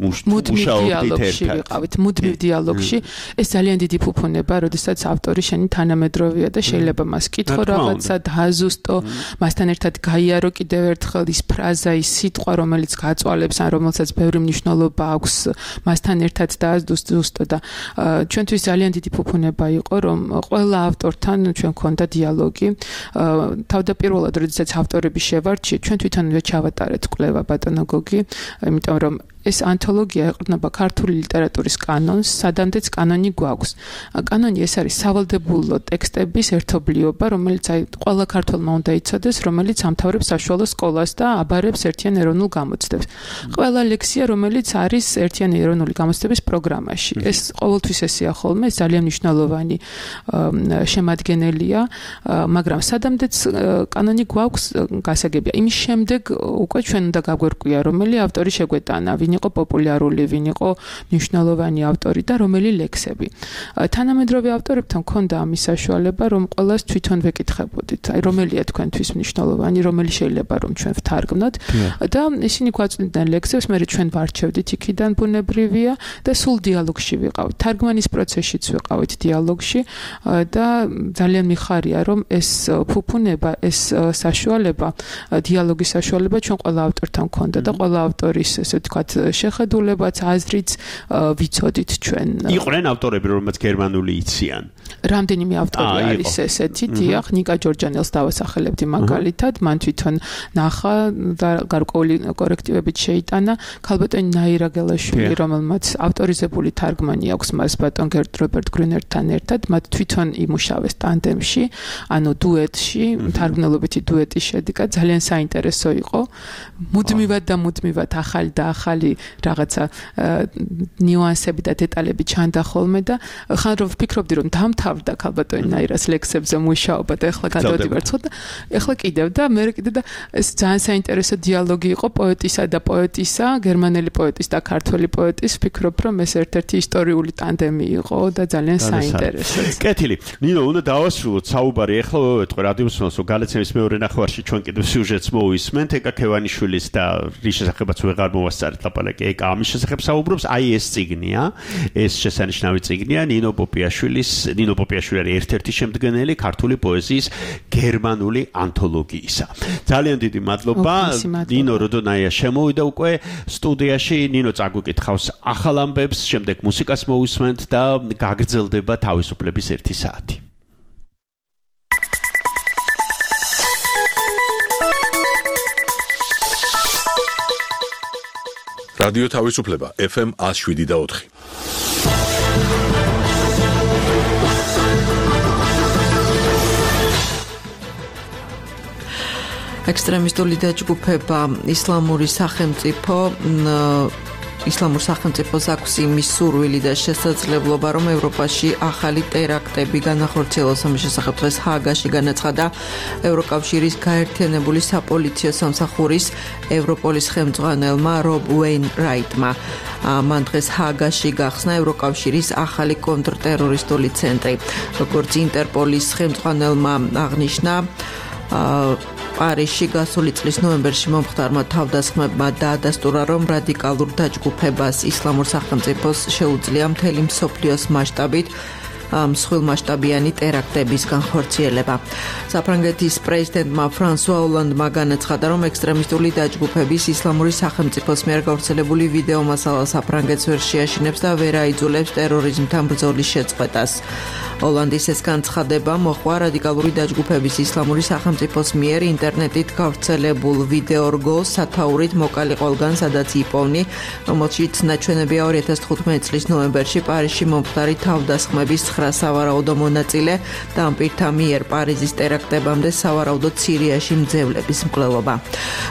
მუშაობდით ერთად მუდმივ დიალოგში ეს ძალიან დიდი ფუფუნება როდესაც ავტორი შენი თანამედროვეა და შეიძლება მას კითხო რაღაცა დააზუსტო მასთან ერთად გაიარო კიდევ ერთხელ ის ფრაზა ის სიტყვა რომელიც გაწვალებს ან რომელსაც ბევრი მნიშვნელობა აქვს მასთან ერთად დააზუსტო და ჩვენთვის ძალიან დიდი ფუფუნება იყო რომ ყველა ავტორთან ჩვენ გქონდა დიალოგი თავდაპირველად როდესაც ავტორები შევარჩიეთ ჩვენ თვითონვე ჩავატარეთ კვლევა ბატონო გოგი იმიტომ რომ ეს ანთოლოგია ეყრდნობა ქართული ლიტერატურის კანონს, სადამდეც კანონი გვაქვს. კანონი ეს არის სავალდებულო ტექსტების ერთობლიობა, რომელიც აი ყველა ქართველმა უნდა იცოდეს, რომელიც ამთავრებს საშუალო სკოლას და აბარებს ერთიან ეროვნულ გამოცდებს. ყველა ლექსია, რომელიც არის ერთიან ეროვნული გამოცდების პროგრამაში. ეს ყოველთვის ესეა ხოლმე, ეს ძალიან მნიშვნელოვანი შემადგენელია, მაგრამ სადამდეც კანონი გვაქვს გასაგებია. იმის შემდეგ უკვე ჩვენ უნდა გაგვერკვია, რომელი ავტორი შეგვეტანა, ვინ იყო პოპულარული, ვინ იყო მნიშვნელოვანი ავტორი და რომელი ლექსები. თანამედროვე ავტორებთან მქონდა ამის საშუალება, რომ ყველას თვითონ ვეკითხებოდით, აი რომელია თქვენთვის მნიშვნელოვანი, რომელი შეიძლება რომ ჩვენ ვთარგმნოთ და ისინი გვაწვდიდნენ ლექსებს, მე ჩვენ ვარჩევდით იქიდან ბუნებრივია და სულ დიალოგში ვიყავით. თარგმანის პროცესშიც ვიყავით დიალოგში და ძალიან მიხარია, რომ ეს ფუფუნება, ეს საშუალება, დიალოგის საშუალება ჩვენ ყველა ავტორთან მქონდა და ყველა ავტორის ესე ვთქვათ შეხედულებაც აზრიც ვიცოდით ჩვენ. იყვნენ ავტორები, რომელმაც გერმანული იციან. რამდენიმე ავტორი არის ესეთი, დიახ, ნიკა ჯორჯანელს დავასახელებდი მაგალითად, მან თვითონ ნახა და გარკვეული კორექტივებით შეიტანა ქალბატონი ნაირა გელაშვილი, რომელმაც ავტორიზებული თარგმანი აქვს მას ბატონ გერდ რობერტ გრუნერტთან ერთად, მათ თვითონ იმუშავეს ტანდემში, ანუ დუეტში, თარგმნელობითი დუეტი შედგა, ძალიან საინტერესო იყო. მუდმივად და მუდმივად ახალი და ახალი რაღაცა ნიუანსები და დეტალები ჩანდა ხოლმე და ხან რომ ვფიქრობდი რომ დამთავრდა ქალბატონი ნაირას ლექსებზე მუშაობა და ეხლა გადავდივარ ცხო და ეხლა კიდევ და მე კიდე და ეს ძალიან საინტერესო დიალოგი იყო პოეტისა და პოეტისა, გერმანელი პოეტის და ქართველი პოეტის. ვფიქრობ რომ ეს ერთ-ერთი ისტორიული ტანდემი იყო და ძალიან საინტერესო. კეთილი. ნინო, უნდა დავასრულოთ საუბარი. ეხლა ვეტყვი რადიოსმოს გალაცემის მეორე ნახევარში ჩვენ კიდევ სიუჟეტს მოვისმენთ ეკა ქევანიშვილის და რის შესახებაც ვეღარ მოვასწარეთ ლაპარაკი ეკა ამის შესახებ საუბრობს აი ეს წიგნია ეს შესანიშნავი წიგნია ნინო პოპიაშვილი არის ერთ-ერთი შემდგენელი ქართული პოეზიის გერმანული ანთოლოგიისა ძალიან დიდი მადლობა ნინო როდონაია შემოვიდა უკვე სტუდიაში ნინო წაგვიკითხავს ახალ ამბებს შემდეგ მუსიკას მოვისმენთ და გაგრძელდება თავისუფლების 1 საათი რადიო თავისუფლება FM 107.4 ექსტრემისტული დაჯგუფება ისლამურ სახელმწიფოს აქვს იმის სურვილი და შესაძლებლობა, რომ ევროპაში ახალი ტერაქტები განახორციელოს. ამის შესახებ დღეს ჰააგაში განაცხადა ევროკავშირის გაერთიანებული საპოლიციო სამსახურის ევროპოლის ხელმძღვანელმა რობ უეინრაიტმა. მან დღეს ჰააგაში გახსნა ევროკავშირის ახალი კონტრტერორისტული ცენტრი. როგორც ინტერპოლის ხელმძღვანელმა აღნიშნა, პარიზში გასული წლის ნოემბერში მომხდარმა თავდასხმებმა დაადასტურა, რომ რადიკალურ დაჯგუფებას ისლამურ სახელმწიფოს შეუძლია მთელი მსოფლიოს მასშტაბით მსხვილმასშტაბიანი ტერაქტების განხორციელება. საფრანგეთის პრეზიდენტმა ფრანსუა ოლანდმა განაცხადა, რომ ექსტრემისტული დაჯგუფების ისლამური სახელმწიფოს მიერ გავრცელებული ვიდეო მასალა საფრანგეთს ვერ შეაშინებს და ვერ აიძულებს ტერორიზმთან ბრძოლის შეწყვეტას. ოლანდის ეს განცხადება მოჰყვა რადიკალური დაჯგუფების ისლამური სახელმწიფოს მიერ ინტერნეტით გავრცელებულ ვიდეო რგოლს სათაურით მოკალი ყველგან, სადაც იპოვნი, რომელშიც ნაჩვენებია 2015 წლის ნოემბერში პარიზში მომხდარი თავდასხმების 9 სავარაუდო მონაწილე და ამ პირთა მიერ პარიზის ტერაქტებამდე სავარაუდოდ სირიაში მძევლების მკვლელობა.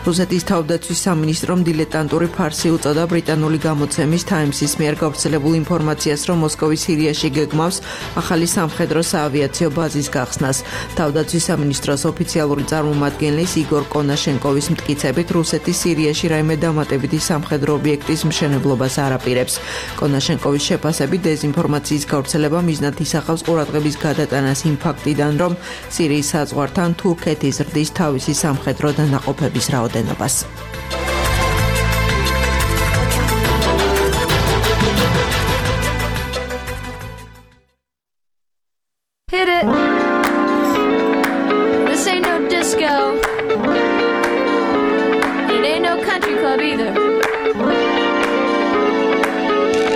რუსეთის თავდაცვის სამინისტრომ დილეტანტური ფარსი უწოდა ბრიტანული გამოცემის Times-ის მიერ გავრცელებულ ინფორმაციას, რომ მოსკოვი სირიაში გეგმავს ახალი სამხედრო საავიაციო ბაზის გახსნას. თავდაცვის სამინისტროს ოფიციალური წარმომადგენლის იგორ კონაშენკოვის მტკიცებით, რუსეთი სირიაში რაიმე დამატებითი სამხედრო ობიექტის მშენებლობას არ აპირებს. კონაშენკოვის შეფასებით, დეზინფორმაციის გავრცელება მიზნად ისახავს ყურადღების გადატანას იმ ფაქტიდან, რომ სირიის საზღვართან თურქეთი ზრდის თავისი სამხედრო დანაყოფების რაოდენობას. Hit it. This ain't no disco. It ain't no country club either.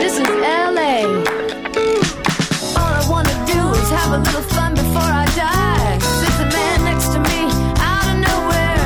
This is LA. All I wanna do is have a little fun before I die. There's a man next to me out of nowhere.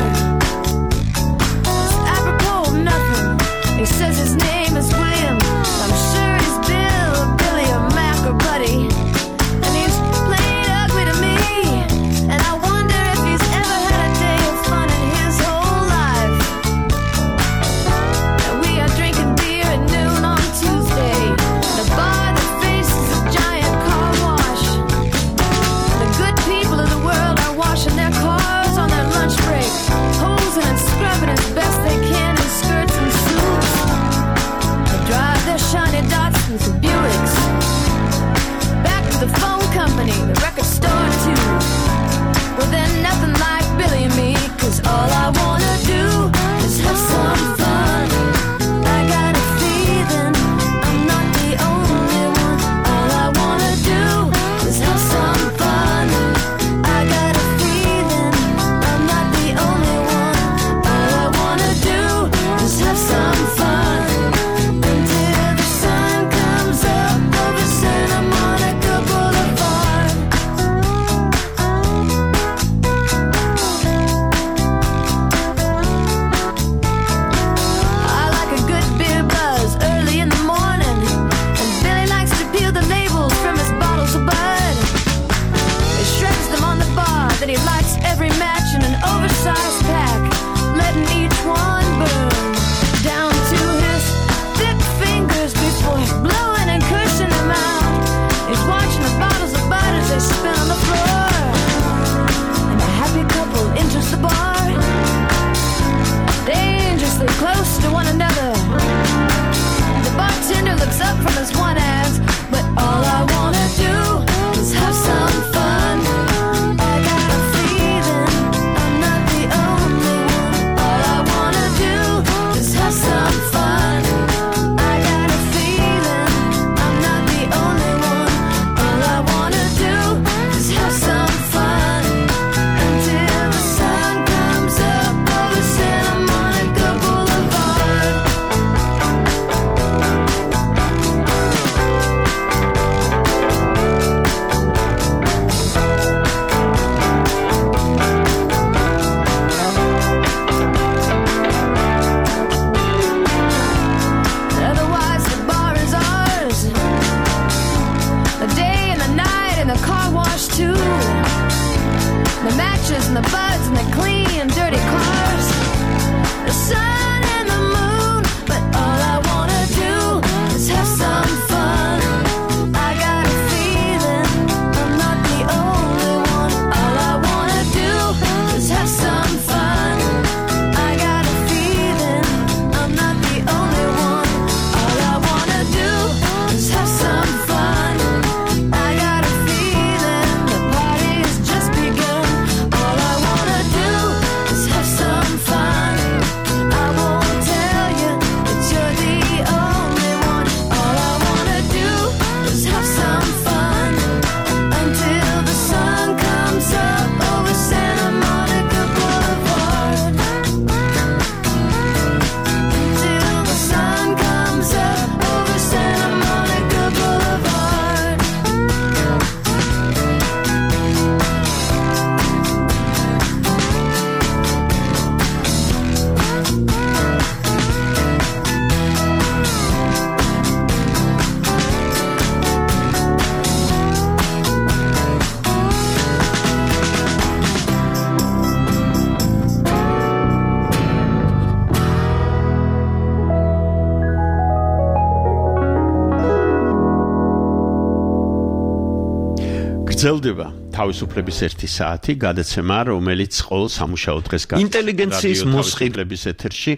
გრძელდება თავისუფლების 1 საათი გადაცემა, რომელიც ყოველ სამუშაო დღეს გადის. ინტელიგენციის მოსყიდლების ეთერში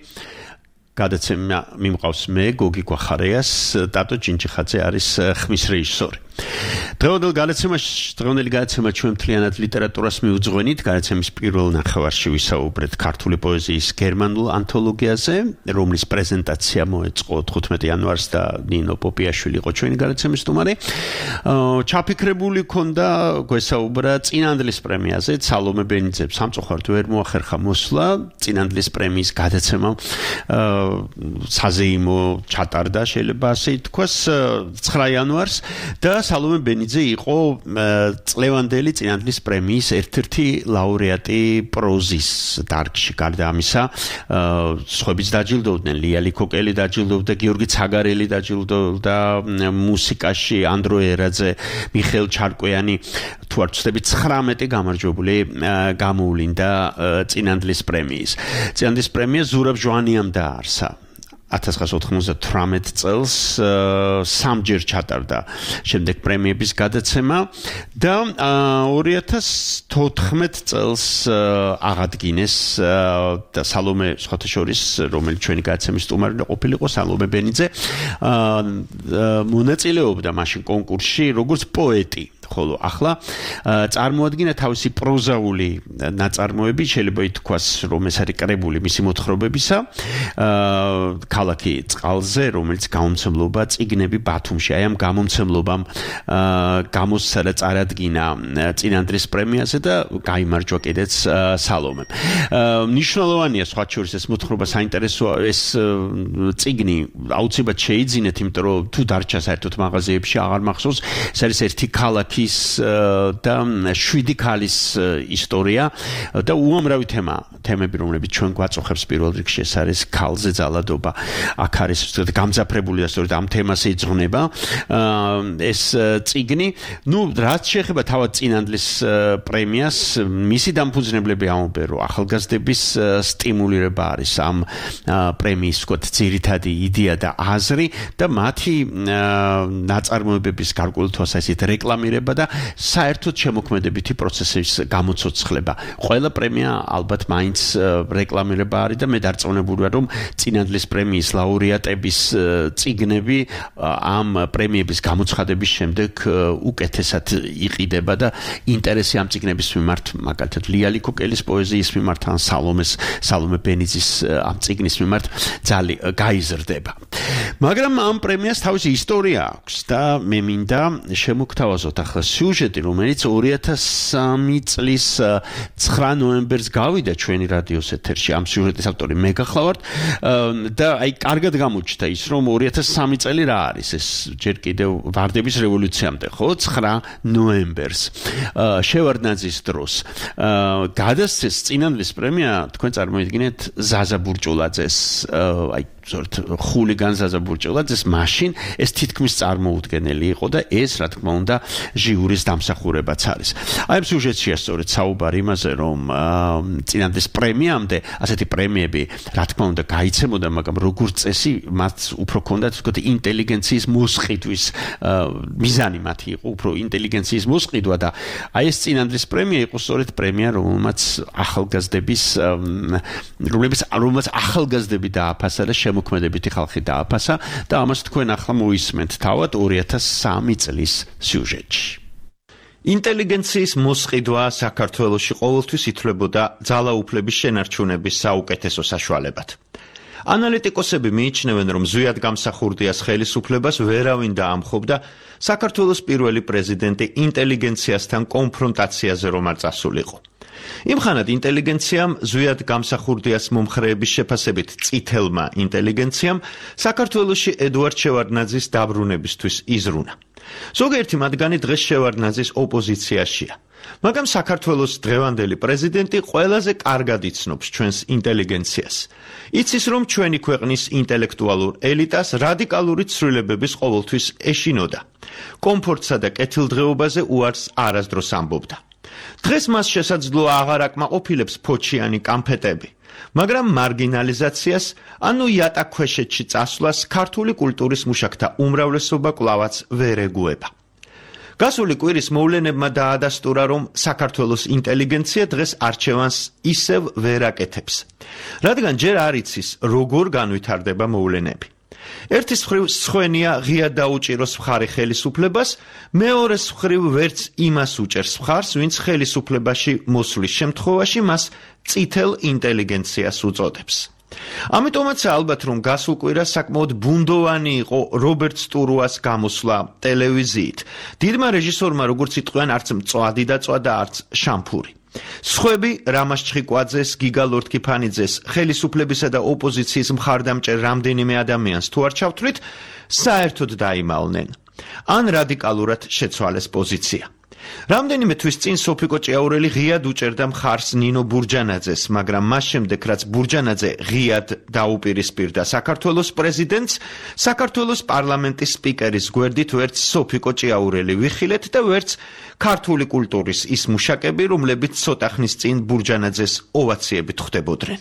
გადაცემა მიმყავს მე, გოგი გვახარიას, ტატო ჭინჭიხაძე არის ხმის რეჟისორი. დღევანდელ გადაცემა ჩვენ მთლიანად ლიტერატურას მიუძღვენით. გადაცემის პირველ ნახევარში ვისაუბრეთ ქართული პოეზიის გერმანულ ანთოლოგიაზე, რომლის პრეზენტაცია მოეწყო 15 იანვარს და ნინო პოპიაშვილი იყო ჩვენი გადაცემის სტუმარი. ჩაფიქრებული ქონდა გვესაუბრა წინანდლის პრემიაზე, სალომე ბენიძემ სამწუხაროდ ვერ მოახერხა მოსვლა. წინანდლის პრემიის გადაცემა საზეიმო ჩატარდა, შეიძლება ასე ითქვას, 9 იანვარს და სალომე ბენიძე იყო წლევანდელი წინანდლის პრემიის ერთ-ერთი ლაურეატი პროზის დარგში. გარდა ამისა, სხვაებიც დაჯილდოვდნენ, ლია ლიქოკელი დაჯილდოვდა, გიორგი ცაგარელი დაჯილდოვდა მუსიკაში, ანდრო ერაძე, მიხეილ ჩარკვიანი, თუ არ ვცდები 19 გამარჯვებული გამოვლინდა წინანდლის პრემიის. წინანდლის პრემია ზურაბ ჟვანიამ დააარსა 1998 წელს, სამჯერ ჩატარდა შემდეგ პრემიების გადაცემა და 2014 წელს აღადგინეს და სალომე სხვათა შორის, რომელიც ჩვენი გადაცემის სტუმარი ყოფილიყო, სალომე ბენიძე მონაწილეობდა მაშინ კონკურსში როგორც პოეტი. ხოლო ახლა წარმოადგინა თავისი პროზაული ნაწარმოები, შეიძლება ითქვას, რომ ეს არის კრებული მისი მოთხრობებისა. ქალაქი წყალზე, რომელიც გამომცემლობა წიგნები ბათუმში, აი ამ გამომცემლობამ გამოსცადა წარადგინა წინანდლის პრემიაზე და გაიმარჯვა კიდეც სალომემ. მნიშვნელოვანია სხვა შორის ეს მოთხრობა საინტერესოა, ეს წიგნი აუცილებლად შეიძინეთ, იმიტომ რომ თუ დარჩა საერთოდ მაღაზიებში აღარ მახსოვს, ეს არის ერთი ქალაქი და 7 ქალის ისტორია და უამრავი თემები, რომლებიც ჩვენ გვაწუხებს პირველ რიგში, ეს არის ქალზე ძალადობა. აქ არის გამძაფრებული და სწორედ ამ თემას ეძღვნება ეს წიგნი. რაც შეეხება თავად წინანდლის პრემიას, მისი დამფუძნებლები ამბობენ, რომ ახალგაზრდების სტიმულირება არის ამ პრემიის ძირითადი იდეა და აზრი და მათი ნაწარმოებების გარკვეული თვალსაზრისით რეკლამირება და საერთოდ შემოქმედებითი პროცესის გამოცოცხლება. ყველა პრემია ალბათ მაინც რეკლამირება არის და მე დარწმუნებული ვარ, რომ წინანდლის პრემიის ლაურეატების წიგნები ამ პრემიების გამოცხადების შემდეგ უკეთესად იყიდება და ინტერესი ამ წიგნების მიმართ, მაგალითად ლია ლიქოკელის პოეზიის მიმართ ან სალომე ბენიძის ამ წიგნის მიმართ გაიზრდება. მაგრამ ამ პრემიას თავისი ისტორია აქვს და მე მინდა შემოგთავაზოთ ახლა სიუჟეტი, რომელიც 2003 წლის 9 ნოემბერს გავიდა ჩვენი რადიოს ეთერში. ამ სიუჟეტის ავტორი მე გახლავართ და აი კარგად გამოჩნდა ის, რომ 2003 წელი რა არის, ეს ჯერ კიდევ ვარდების რევოლუციამდე, ხო, 9 ნოემბერს შევარდნაძის დროს გადასცეს წინანდლის პრემია, თქვენ წარმოიდგინეთ ზაზა ბურჭულაძეს, აი ხულიგან ზაზა ბურჭულაძეს, მაშინ ეს თითქმის წარმოუდგენელი იყო და ეს რა თქმა უნდა ჟიურის დამსახურებაც არის. აი ამ სიუჟეტშია სწორედ საუბარი იმაზე, რომ წინანდლის პრემიამდე ასეთი პრემიები რა თქმა უნდა გაიცემოდა, მაგრამ როგორც წესი მათ უფრო ჰქონდათ თქო ინტელიგენციის მოსყიდვის მიზანი, მათი იყო უფრო ინტელიგენციის მოსყიდვა და აი ეს წინანდლის პრემია იყო სწორედ პრემია, რომელსაც ახალგაზრდები დააფასა და შემოქმედებითი ხალხი დააფასა და ამას თქვენ ახლა მოისმენთ თავად 2003 წლის სიუჟეტში. ინტელიგენციის მოსყიდვა საქართველოში ყოველთვის ითვლებოდა ძალაუფლების შენარჩუნების საუკეთესო საშუალებად. ანალიტიკოსები მიიჩნევენ, რომ ზვიად გამსახურდიას ხელისუფლებას ვერავინ დაამხობდა საქართველოს პირველი პრეზიდენტი ინტელიგენციასთან კონფრონტაციაზე რომ არ წასულიყო. იმხანად ინტელიგენციამ ზვიად გამსახურდიას მომხრეების შეფასებით წითელმა ინტელიგენციამ საქართველოში ედუარდ შევარდნაძის დაბრუნებისთვის იზრუნა. ზოგიერთი მათგანი დღეს შევარდნაძის ოპოზიციაშია. მაგრამ საქართველოს დღევანდელი პრეზიდენტი ყველაზე კარგად იცნობს ჩვენს ინტელიგენციას. იცის, რომ ჩვენი ქვეყნის ინტელექტუალურ ელიტას რადიკალური ცვლილებების ყოველთვის ეშინოდა. კომფორტსა და კეთილდღეობაზე უარს არასდროს ამბობდა. დღეს მას შესაძლოა აღარ აკმაყოფილებს ფოჩიანი კამფეტები, მაგრამ მარგინალიზაციას, ანუ იატაკქვეშეთში წასვლას ქართული კულტურის მუშაკთა უმრავლესობა კვლავაც ვერ ეგუება. გასული კვირის მოვლენებმა დაადასტურა, რომ საქართველოს ინტელიგენცია დღეს არჩევანს ისევ ვერ აკეთებს, რადგან ჯერ არ იცის, როგორ განვითარდება მოვლენები. ერთის მხრივ სხვენია ღია დაუჭიროს მხარი ხელისუფლებას, მეორეს მხრივ ვერც იმას უჭერს მხარს, ვინც ხელისუფლებაში მოსვლის შემთხვევაში მას წითელ ინტელიგენციას უწოდებს. ამიტომაც ალბათ რომ გასულ კვირას საკმაოდ ბუნდოვანი იყო რობერტ სტურუას გამოსვლა ტელევიზიით. დიდმა რეჟისორმა როგორც იტყვიან, არც მწვადი დაწვა, არც შამფური. სხვები რამაზ ჩხიკვაძეს, გიგა ლორთქიფანიძეს, ხელისუფლებისა და ოპოზიციის მხარდამჭერ რამდენიმე ადამიანს თუ არ ჩავთვლით, საერთოდ დაიმალნენ. ან რადიკალურად შეცვალეს პოზიცია. რამდენიმე თვის წინ სოფიკო ჭიაურელი ღიად უჭერდა მხარს ნინო ბურჯანაძეს, მაგრამ მას შემდეგ რაც ბურჯანაძე ღიად დაუპირისპირდა საქართველოს პრეზიდენტს, საქართველოს პარლამენტის სპიკერის გვერდით ვერც სოფიკო ჭიაურელი ვიხილეთ და ვერც ქართული კულტურის ის მუშაკები, რომლებიც ცოტა ხნის წინ ბურჯანაძეს ოვაციებით ხვდებოდნენ.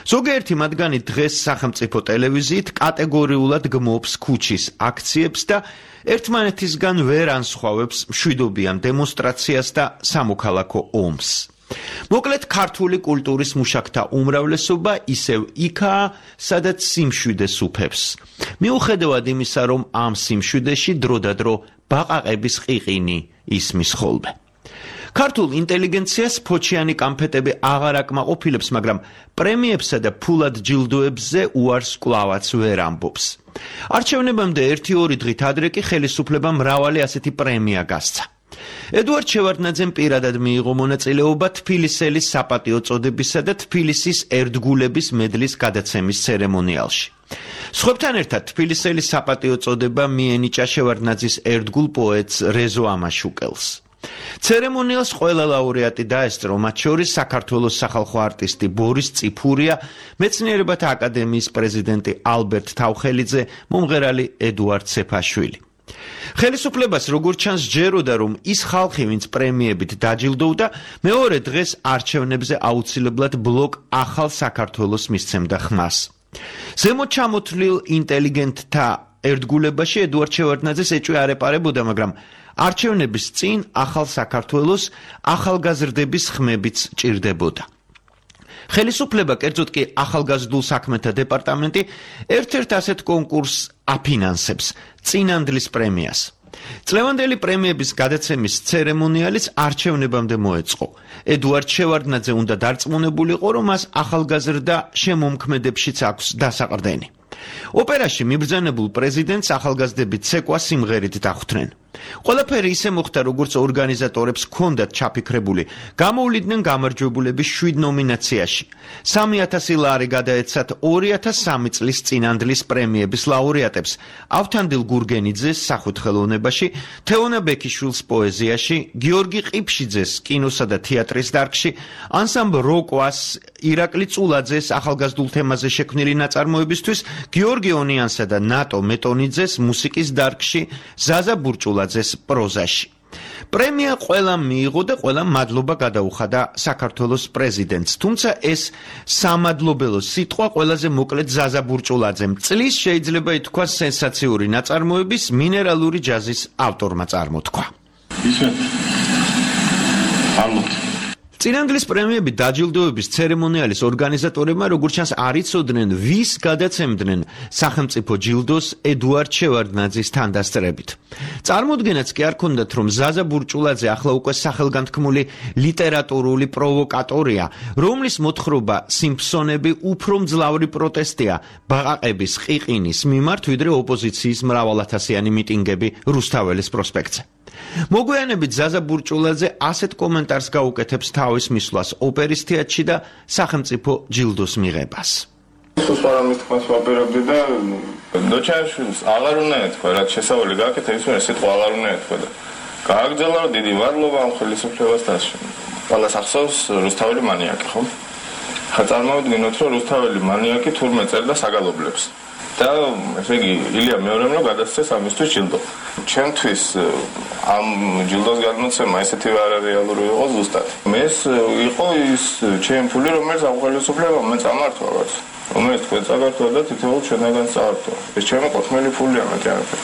ზოგიერთი მათგანი დღეს სახელმწიფო ტელევიზიით კატეგორიულად გმობს ქუჩის აქციებს და ერთმანეთისგან ვერ ანსხვავებს მშვიდობიან დემონსტრაციას და სამოქალაქო ომს. მოკლედ ქართული კულტურის მუშაკთა უმრავლესობა ისევ იქაა, სადაც სიმშვიდე სუფევს. მიუხედავად იმისა, რომ ამ სიმშვიდეში დროდადრო ბაყაყების ყიყინი ისმის ხოლმე. ქართულ ინტელიგენციას ფოჩიანი კამფეტები აღარ აკმაყოფილებს, მაგრამ პრემიებსა და ფულად ჯილდოებზე უარს კვლავაც ვერ ამბობს. არჩევნებამდე 1-2 დღით ადრე კი ხელისუფლებამ მრავალი ასეთი პრემია გასცა. ედუარდ შევარდნაძემ პირადად მიიღო მონაწილეობა თბილისელის საპატიო წოდებისა და თბილისის ერთგულების მედლის გადაცემის ცერემონიალში. სხვებთან ერთად თბილისელის საპატიო წოდება მიენიჭა შევარდნაძის ერთგულ პოეტს რეზო ამაშუკელს. ცერემონიალს ყველა ლაურეატი დაესწრო, მათ შორის საქართველოს სახალხო არტისტი ბორის წიფურია, მეცნიერებათა აკადემიის პრეზიდენტი ალბერტ თავხელიძე, მომღერალი ედუარდ სეფაშვილი. ხელისუფლებას როგორც ჩანს ჯეროდა, რომ ის ხალხი, ვინც პრემიებით დაჯილდოვდა, მეორე დღეს არჩევნებზე აუცილებლად ბლოკ ახალ საქართველოს მისცემდა ხმას. ზემოთ ჩამოთვლილ ინტელიგენტთა ერთგულებაში ედუარდ შევარდნაძეს ეჭვი არ ეპარებოდა, მაგრამ არჩევნების წინ ახალ საქართველოს ახალგაზრდების ხმებიც ჭირდებოდა. ხელისუფლება, კერძოდ კი ახალგაზრდულ საქმეთა დეპარტამენტი, ერთ-ერთ ასეთ კონკურსს აფინანსებს, წინანდლის პრემიას. წლევანდელი პრემიების გადაცემის ცერემონიალიც არჩევნებამდე მოეწყო. ედუარდ შევარდნაძე უნდა დარწმუნებულიყო, რომ მას ახალგაზრდა შემომქმედებშიც აქვს დასაყრდენი. ოპერაში მიბრძანებულ პრეზიდენტს ახალგაზრდები ცეკვა სიმღერით დახვდნენ. ყველაფერი ისე მოხდა, როგორც ორგანიზატორებს ჰქონდათ ჩაფიქრებული. გამოვლიდნენ გამარჯვებულები 7 ნომინაციაში. 3000 ლარი გადაეცათ 2003 წლის წინანდლის პრემიების ლაურეატებს: ავთანდილ გურგენიძეს სახუთხელოვნებაში, თეონა ბექიშვილს პოეზიაში, გიორგი ყიფშიძეს კინოსა და თეატრის დარგში, ანსამბლ როკვას, ირაკლი წულაძეს ახალგაზრდულ თემაზე შექმნილი ნაწარმოებისთვის, გიორგი ონიანსა და ნატო მეტონიძეს მუსიკის დარგში, ზაზა ბურჭულაძეს პროზაში. პრემია ყველამ მიიღო და ყველამ მადლობა გადაუხადა საქართველოს პრეზიდენტს, თუმცა ეს სამადლობელო სიტყვა ყველაზე მოკლედ ზაზა ბურჭულაძემ, წლის შეიძლება ითქვას სენსაციური ნაწარმოების მინერალური ჯაზის ავტორმა წარმოთქვა. წინანდლის პრემიები დაჯილდოების ცერემონიალის ორგანიზატორებმა როგორც ჩანს არ იცოდნენ, ვის გადაცემდნენ სახელმწიფო ჯილდოს ედუარდ შევარდნაძის თანდასწრებით. წარმოდგენაც კი არ ქონდათ, რომ ზაზა ბურჭულაძე ახლა უკვე სახელგანთქმული ლიტერატურული პროვოკატორია, რომლის მოთხრობა სიმფსონები უფრო მძლავრი პროტესტია ბაყაყების ყიყინის მიმართ, ვიდრე ოპოზიციის მრავალათასიანი მიტინგები რუსთაველის პროსპექტზე. მოგვიანებით ზაზა ბურჭულაძე ასეთ კომენტარს გაუკეთებს თავის მისვლას ოპერის თეატრში და სახელმწიფო ჯილდოს მიღებას. სუსპარამის თქმას ვაპირებდი და დოჩაშვილს აღარ უნდა ეთქვა, რაც შესავალი გააკეთა, ის მე სიტყვა აღარ უნდა ეთქვა და გააგრძელა, დიდი მადლობა ამ ხელისუფლებასთან. ყველას ახსოვს რუსთაველი მანიაკი, ხო? ხა წარმოვიდგინოთ, რომ რუსთაველი მანიაკი თურმე წერდა საგალობლებს. და ესე იგი ილია მეორემ რომ გადასცეს ამისთვის ჯილდო. ჩემთვის ამ ჯილდოს გადმოცემა ესეთი არარეალური იყო ზუსტად. მეს იყო ის ჩემი ფული, რომელიც ამ ხელისუფლებამ მე წამართვა რაც. რომელიც თქვენ წაგართვა და თითოეულ ჩვენგან წაართვა. ეს ჩემი ყოფილი ფულია, მეტი არაფერი.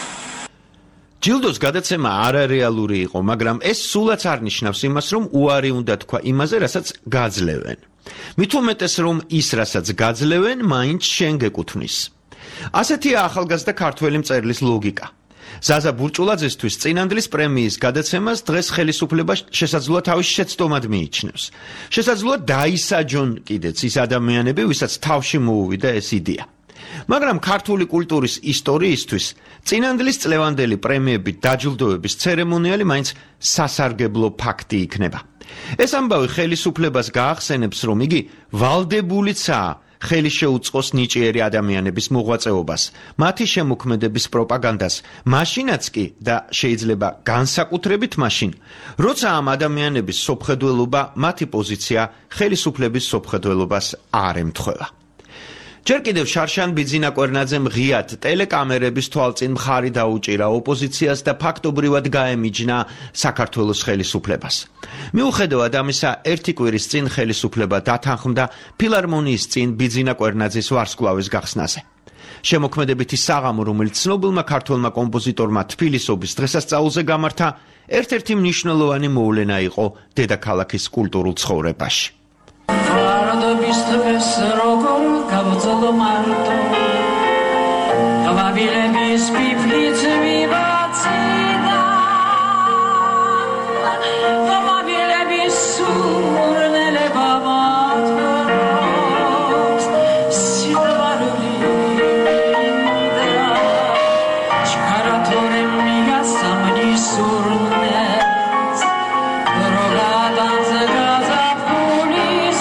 ჯილდოს გადაცემა არარეალური იყო, მაგრამ ეს სულაც არ ნიშნავს იმას, რომ უარი უნდა თქვა იმაზე, რასაც გაძლევენ. მით უმეტეს, რომ ის, რასაც გაძლევენ, მაინც შენ გეკუთვნის. ასეთია ახალგაზრდა ქართველი მწერლის ლოგიკა. ზაზა ბურჭულაძესთვის წინანდლის პრემიის გადაცემას დღეს ხელისუფლება შესაძლოა თავის შეცდომად მიიჩნევს. შესაძლოა დაისაჯონ კიდეც ის ადამიანები, ვისაც თავში მოუვიდა ეს იდეა. მაგრამ ქართული კულტურის ისტორიისთვის წინანდლის წლევანდელი პრემიებით დაჯილდოების ცერემონიალი მაინც სასარგებლო ფაქტი იქნება. ეს ამბავი ხელისუფლებას გაახსენებს, რომ იგი ვალდებულიცაა ხელი შეუწყოს ნიჭიერი ადამიანების მოღვაწეობას, მათი შემოქმედების პროპაგანდას, მაშინაც კი და შეიძლება განსაკუთრებით მაშინ, როცა ამ ადამიანების სოფხედველობა, მათი პოზიცია ხელისუფლების სოფხედველობას არ ემთხვევა. ჯერ კიდევ შარშან ბიძინა კვერნაძემ ღიად ტელეკამერების თვალწინ მხარი დაუჭირა ოპოზიციას და ფაქტობრივად გაემიჯნა საქართველოს ხელისუფლებას. მიუხედავად ამისა, ერთი კვირის წინ ხელისუფლება დათანხმდა ფილარმონიის წინ ბიძინა კვერნაძის ვარსკვლავის გახსნაზე. შემოქმედებითი საღამო, რომელიც ცნობილმა ქართველმა კომპოზიტორმა თბილისობის დღესასწაულზე გამართა, ერთ-ერთი მნიშვნელოვანი მოვლენა იყო დედაქალაქის კულტურულ ცხოვრებაში. Გავწოდო მარტო გავაბილების ფიფლიც ვიბაციდა გავაბილების სურნელება მათქრობს სიყვარული ჩქარათორემ მიგასამნი სურნელს დროგადანზე გაზაფხულის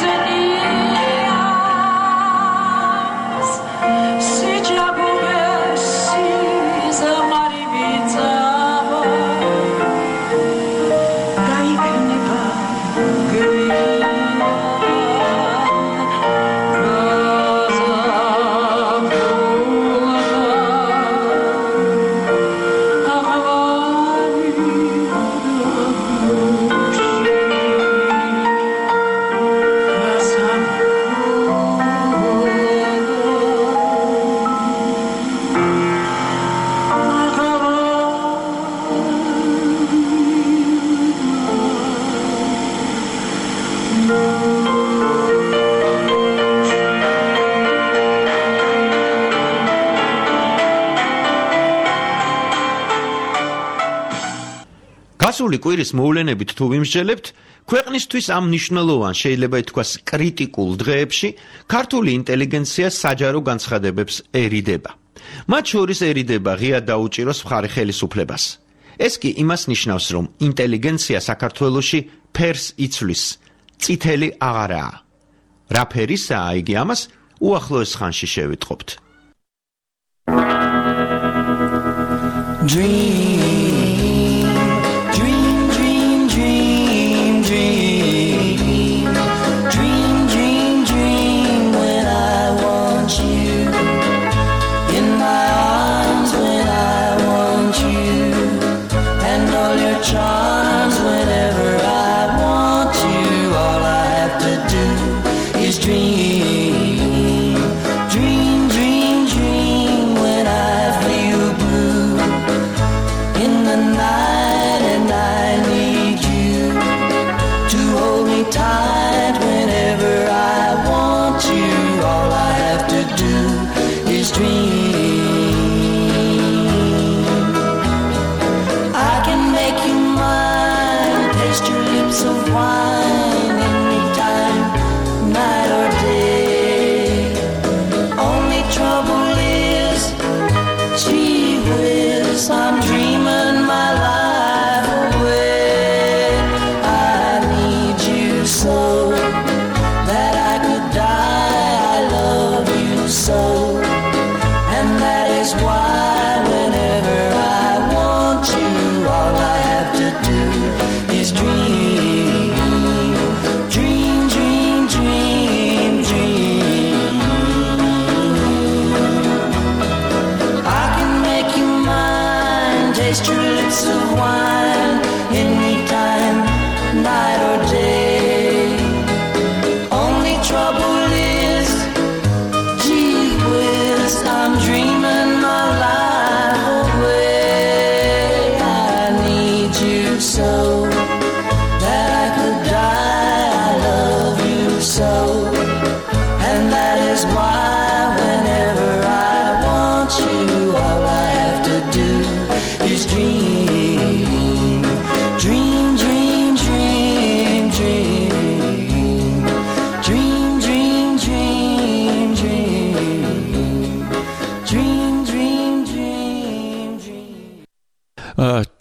გასული კვირის მოვლენებით თუ ვიმსჯელებთ, ქვეყნისთვის ამ მნიშვნელოვან, შეიძლება ითქვას, კრიტიკულ დღეებში ქართული ინტელიგენცია საჯარო განცხადებებს ერიდება. მათ შორის ერიდება ღია დაუჭიროს მხარი ხელისუფლებას. ეს კი იმას ნიშნავს, რომ ინტელიგენცია საქართველოში ფერს იცვლის, წითელი აღარაა. რა ფერისაა იგი, ამას უახლოეს ხანში შევიტყობთ. In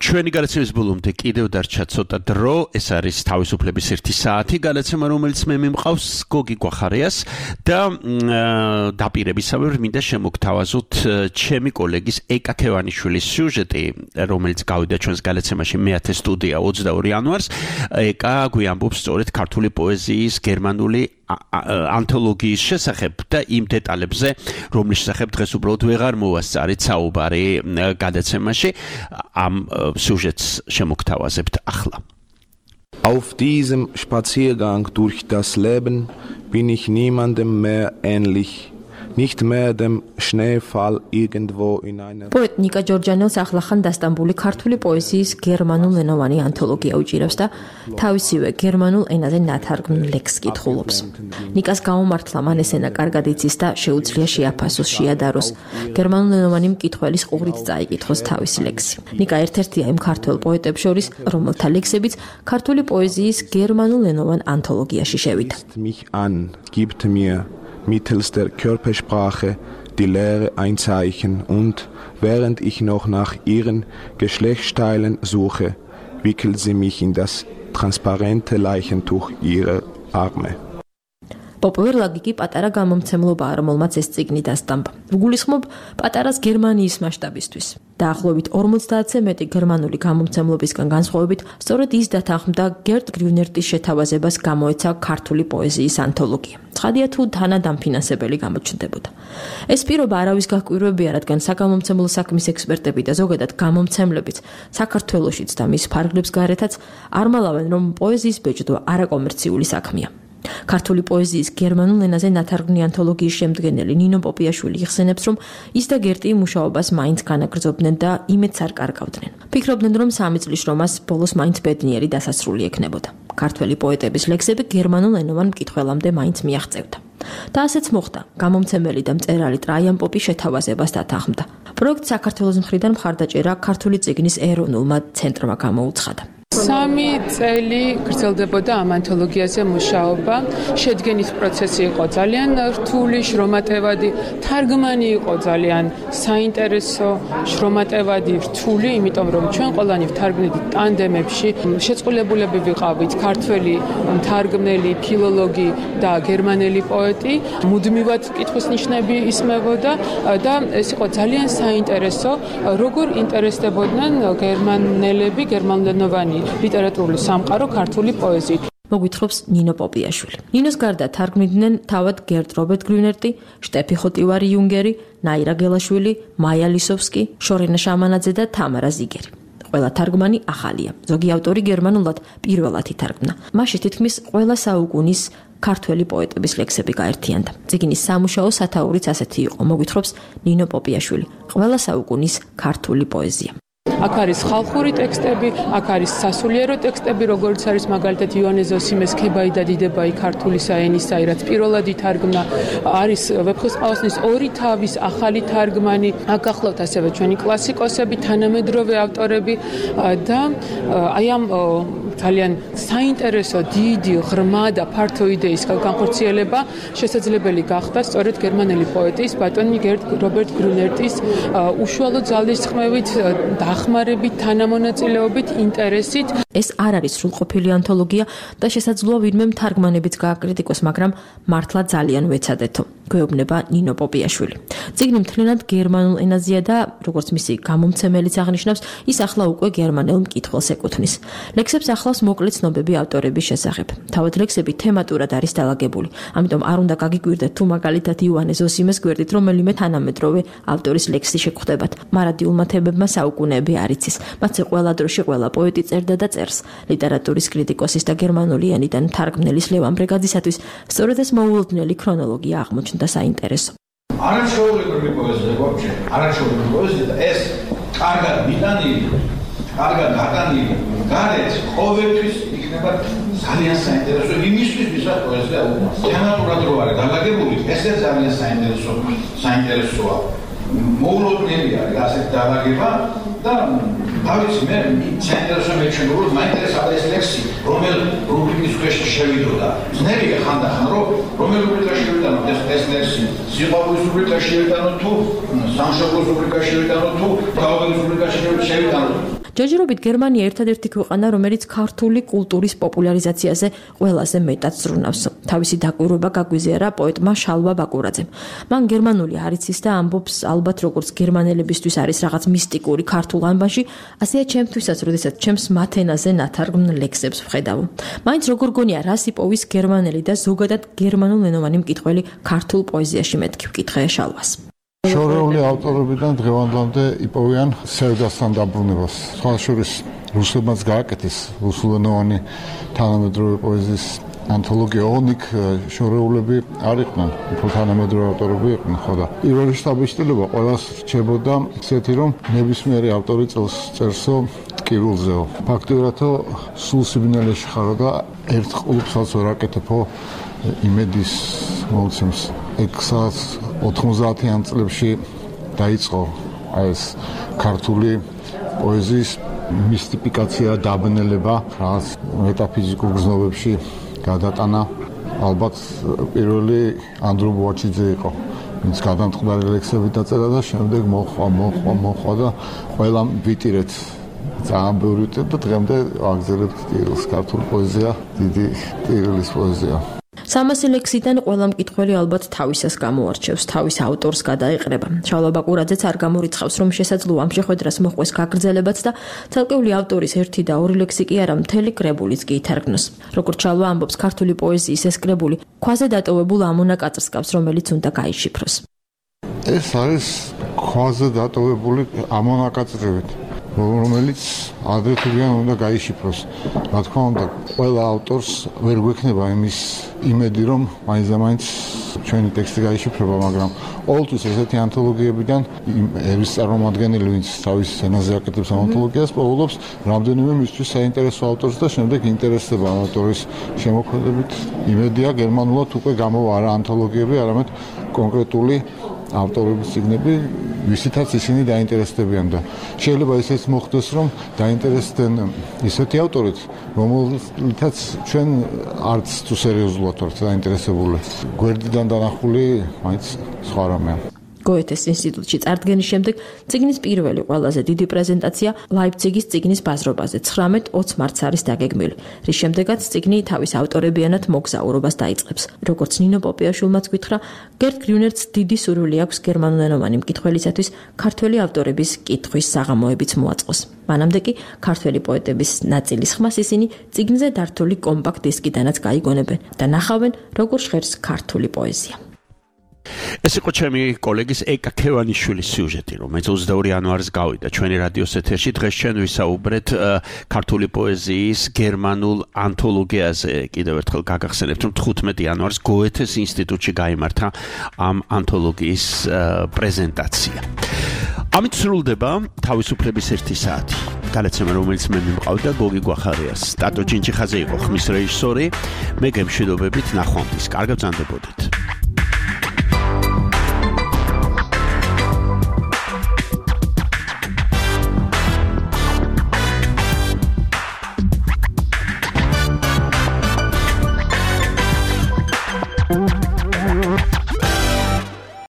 ჩვენი გადაცემის ბოლომდე კიდევ დარჩა ცოტა დრო, ეს არის თავისუფლების 1 საათი გადაცემა, რომელიც მე მიმყავს გოგი გვახარიას და დაპირებისამებრ მინდა შემოგთავაზოთ ჩემი კოლეგის ეკა ქევანიშვილის სიუჟეტი, რომელიც გავიდა ჩვენს გადაცემაში მე-10 სტუდია 22 იანვარს. ეკა გვიამბობს სწორედ ქართული პოეზიის გერმანული ანთოლოგიის შესახებ და იმ დეტალებზე, რომლის შესახებ დღეს უბრალოდ ვეღარ მოვასწარით საუბარი გადაცემაში. Am სიუჟეტს შემოგთავაზებთ ახლა. Auf diesem Spaziergang durch das Leben bin ich niemandem mehr ähnlich. Nicht mehr dem Schneefall irgendwo in einer Poet Nika Georgianos ახლახან დასტამბული ქართული პოეზიის გერმანულენოვანი ანთოლოგია უჭირავს და თავისივე გერმანულ ენაზე ნათარგმნ ლექსს კითხულობს. ნიკას გამომართლა მან ეს ენა კარგად იცის და შეუძლია შეაფასოს, შეადაროს. გერმანულენოვანი მკითხველის ყურით წაიკითხოს თავისი ლექსი. ნიკა ერთ-ერთია იმ ქართველ პოეტებს შორის, რომელთა ლექსებიც ქართული პოეზიის გერმანულენოვან ანთოლოგიაში შევიდა. mich an, gibt mir mittels der Körpersprache die Lehre ein Zeichen und während ich noch nach ihren Geschlechtsteilen suche, wickelt sie mich in das transparente Leichentuch ihrer Arme. პოპულარლაგი კი პატარა გამომცემლობაა, რომელმაც ეს წიგნი დასტამბა. გულისხმობ პატარას გერმანიის მასშტაბისთვის. დაახლოებით 50-ზე მეტი გერმანული გამომცემლობისგან განსხვავებით, სწორედ ის დათანხმდა გერტ გრიუნერტის შეთავაზებას გამოეცა ქართული პოეზიის ანთოლოგია. ცხადია თუ თანადამფინანსებელი გამოჩნდებოდა. ეს პირობა არავის გაკვირვებია, რადგან საგამომცემლო საქმის ექსპერტები და ზოგადად გამომცემლებიც საქართველოშიც და მის ფარგლებს გარეთაც არ მალავენ, რომ პოეზიის ბეჭდვა არაკომერციული საქმეა. ქართული პოეზიის გერმანულ ენაზე ნათარგმნი ანთოლოგიის შემდგენელი ნინო პოპიაშვილი იხსენებს, რომ ის და გერტი მუშაობას მაინც განაგრძობდნენ და იმედს არ კარგავდნენ. ფიქრობდნენ, რომ 3 წლის რომას ბოლოს მაინც ბედნიერი დასასრული ექნებოდა. ქართველი პოეტების ლექსები გერმანულ ენოვან მკითხველამდე მაინც მიაღწევდა. და ასეც მოხდა. გამომცემელი და მწერალი ტრაიან პოპი შეთავაზებას დათანხმდა. პროექტს საქართველოს მხრიდან მხარდაჭერა ქართული წიგნის ეროვნულმა ცენტრმა გამოუცხადა. 3 წელი გრძელდებოდა ამ ანთოლოგიაზე მუშაობა. შედგენის პროცესი იყო ძალიან რთული, შრომატევადი, თარგმანი იყო ძალიან საინტერესო, შრომატევადი, რთული, იმიტომ რომ ჩვენ ყველანი ვთარგმნით ტანდემებში, შეწყვილებულები ვიყავით ქართველი თარგმნელი, ფილოლოგი და გერმანელი პოეტი, მუდმივად კითხვის ნიშნები ისმევოდა და ეს იყო ძალიან საინტერესო, როგორ ინტერესდებოდნენ გერმანელები, გერმანულენოვანი ლიტერატურული სამყარო ქართული პოეზიით. მოგვითხრობს ნინო პოპიაშვილი. ნინოს გარდა თარგმნიდნენ თავად გერტ რობერტ გრიუნერტი, შტეფი ხოტივარი იუნგერი, ნაირა გელაშვილი, მაია ლისოვსკი, შორენა შამანაძე და თამარა ზიგერი. ყველა თარგმანი ახალია. ზოგი ავტორი გერმანულად პირველად ითარგმნა. მასში თითქმის ყველა საუკუნის ქართველი პოეტების ლექსები გაერთიანდა. წიგნის სამუშაო სათაურიც ასეთი იყო, მოგვითხრობს ნინო პოპიაშვილი. ყველა საუკუნის ქართული პოეზია. აქ არის ხალხური ტექსტები, აქ არის სასულიერო ტექსტები, როგორც არის მაგალითად ივანე ზოსიმეს ქებაი და დიდებაი ქართული საენისა, რაც პირველად ითარგმნა, არის ვეფხისტყაოსნის ორი თავის ახალი თარგმანი, აქ გახლავთ ასევე ჩვენი კლასიკოსები, თანამედროვე ავტორები და აი ამ ძალიან საინტერესო, დიდი, ღრმა და ფართო იდეის განხორციელება შესაძლებელი გახდა სწორედ გერმანელი პოეტის ბატონი გერტ რობერტ გრიუნერტის უშუალო ძალისხმევით, დახმარებით, თანამონაწილეობით, ინტერესით. ეს არ არის სრულყოფილი ანთოლოგია და შესაძლოა ვინმე თარგმანებიც გააკრიტიკოს, მაგრამ მართლა ძალიან ვეცადეთო. გვეუბნება ნინო პოპიაშვილი. წიგნი მთლიანად გერმანულ ენაზეა და როგორც მისი გამომცემელიც აღნიშნავს, ის ახლა უკვე გერმანელ მკითხველს ეკუთვნის. ლექსებს ახლავს მოკლე ცნობები ავტორების შესახებ. თავად ლექსები თემატურად არის დალაგებული, ამიტომ არ უნდა გაგიკვირდეთ თუ მაგალითად ივანე ზოსიმეს გვერდით რომელიმე თანამედროვე ავტორის ლექსი შეგხვდებათ. მარადიულმა თემებმა საუკუნეები არ იცის. მათზე ყველა დროში ყველა პოეტი წერდა და წერს. ლიტერატურის კრიტიკოსის და გერმანული ენიდან თარგმნელის ლევან ბრეგაძისათვის სწორედ ეს მოულოდნელი ქრონოლოგია აღმოჩნდა საინტერესო. არაჩვეულებრივი პოეზია ვაფშე, არაჩვეულებრივი პოეზია და ეს კარგად მიტანილი, კარგად დატანილი, გარეთ ყოველთვის იქნება ძალიან საინტერესო იმისთვის, ვისაც პოეზია უყვარს. თემატურად რო არის დალაგებული, ესე ძალიან საინტერესოა. მოულოდნელი არის ასეთ დალაგება და თავის მე საინტერესო მეჩვენა რომ მაინტერესებდა ეს ლექსი, რომელ რუბრიკის ქვეშ შევიდოდა. ძნელია ხანდახან რომ რომელ რუბრიკაში შევიდანო ეს ლექსი, სიყვარულის რუბრიკაში შევიდანო თუ სამშობლოს რუბრიკაში შევიდანო თუ გაუგების რუბრიკაში შევიდანო. ჯერჯერობით გერმანია ერთადერთი ქვეყანა, რომელიც ქართული კულტურის პოპულარიზაციაზე ყველაზე მეტად ზრუნავს. თავისი დაკვირვება გაგვიზიარა პოეტმა შალვა ბაკურაძემ. მან გერმანული არ იცის და ამბობს, ალბათ როგორც გერმანელებისთვის არის რაღაც მისტიკური ქართულ ანბანში, ასეა ჩემთვისაც, როდესაც ჩემს მათენაზე ნათარგმნ ლექსებს ვხედავ. მაინც როგორ გონია, რას იპოვის გერმანელი და ზოგადად გერმანულენოვანი მკითხველი ქართულ პოეზიაში, მეთქი ვკითხე შალვას. შორეული ავტორებიდან დღევანდლამდე იპოვიან სევდასთან დაბრუნებას. სხვაშორის რუსებმაც გააკეთეს რუსულენოვანი თანამედროვე პოეზიის ანთოლოგია ონიკ შორეულები არ იყვნენ, უფრო თანამედროვე ავტორები იყვნენ, ხო და პირველი შთაბეჭდილება ყველას რჩებოდა ისეთი, რომ ნებისმიერი ავტორი წერსო ტკივილზეო. ფაქტობრივადო სულ სიბნელეში ხარო და ერთ ყლუბსაც ვერ აკეთებო იმედის მოცემს. 90-იან წლებში დაიწყო ეს ქართული პოეზიის მისტიფიკაცია, დაბნელება, რაღაც მეტაფიზიკურ გზნობებში გადატანა. ალბათ პირველი ანდრო ბუაჩიძე იყო, ვინც გადამწყდარი ლექსები დაწერა და შემდეგ მოხვა და ყველამ ვიტირეთ. ძალიან ბევრი ვიტირეთ და დღემდე აგზელებთ ტირილს. ქართული პოეზია დიდი ტირილის პოეზია. 300 ლექსიდან ყველა მკითხველი ალბათ თავისას გამოარჩევს, თავის ავტორს გადაეყრება. შალვა ბაკურაძეც არ გამორიცხავს, რომ შესაძლოა ამ შეხვედრას მოჰყვეს გაგრძელებაც და ცალკეული ავტორის 1 და 2 ლექსი კი არა, მთელი კრებულიც კი ითარგმნოს. როგორც შალვა ამბობს, ქართული პოეზიის ეს კრებული ქვაზე დატოვებულ ამონაკაწრს გავს, რომელიც უნდა გაიშიფროს. ეს არის ქვაზე დატოვებული ამონაკაწრებით, რომელიც ადრეთიდან უნდა გაიშიფროს. რა თქმა უნდა, ყველა ავტორს ვერ გვექნება იმის იმედი, რომ მაინც ჩვენი ტექსტი გაიშიფრება, მაგრამ ყოველთვის ესეთი ანთოლოგიებიდან ერის წარმომადგენელი, ვინც თავის ენაზე აკეთებს ანთოლოგიას, პოულობს რამდენიმე მისთვის საინტერესო ავტორს და შემდეგ ინტერესდება ამ ავტორის შემოქმედებით. იმედია გერმანულად უკვე გამოვა არა ანთოლოგიები, არამედ კონკრეტული ავტორების წიგნები, ვისითაც ისინი დაინტერესდებიან და შეიძლება ისეც მოხდეს, რომ დაინტერესდნენ ისეთი ავტორით, რომელთაც ჩვენ არც თუ სერიოზულად ვართ დაინტერესებული. გვერდიდან დანახული მაინც სხვა რამეა. გოეთეს ინსტიტუტში წარდგენის შემდეგ წიგნის პირველი ყველაზე დიდი პრეზენტაცია ლაიფციგის წიგნის ბაზრობაზე 19-20 მარტს არის დაგეგმილი, რის შემდეგაც წიგნი თავის ავტორებიანად მოგზაურობას დაიწყებს. როგორც ნინო პოპიაშვილმაც გითხრა, გერტ გრიუნერც დიდი სურვილი აქვს გერმანულენოვანი მკითხველისათვის ქართველი ავტორების კითხვის საღამოებიც მოაწყოს. მანამდე კი ქართველი პოეტების ნაწილის ხმას ისინი წიგნზე დართული კომპაქტ დისკიდანაც გაიგონებენ და ნახავენ, როგორ ჟღერს ქართული პოეზია. ეს იყო ჩემი კოლეგის ეკა ქევანიშვილის სიუჟეტი, რომელიც 22 იანვარს გავიდა ჩვენი რადიოს ეთერში. დღეს ჩვენ ვისაუბრეთ ქართული პოეზიის გერმანულ ანთოლოგიაზე. კიდევ ერთხელ გაგახსენებთ, რომ 15 იანვარს გოეთეს ინსტიტუტში გაიმართა ამ ანთოლოგიის პრეზენტაცია. ამით სრულდება თავისუფლების 1 საათი. განაცემა, რომელიც მე მიმყავდა გოგი გვახარიას. ტატო ჩინჩიხაძე იყო ხმის რეჟისორი. მე გემშვიდობებით ნახვამდის. კარგად ბრძანდებოდით.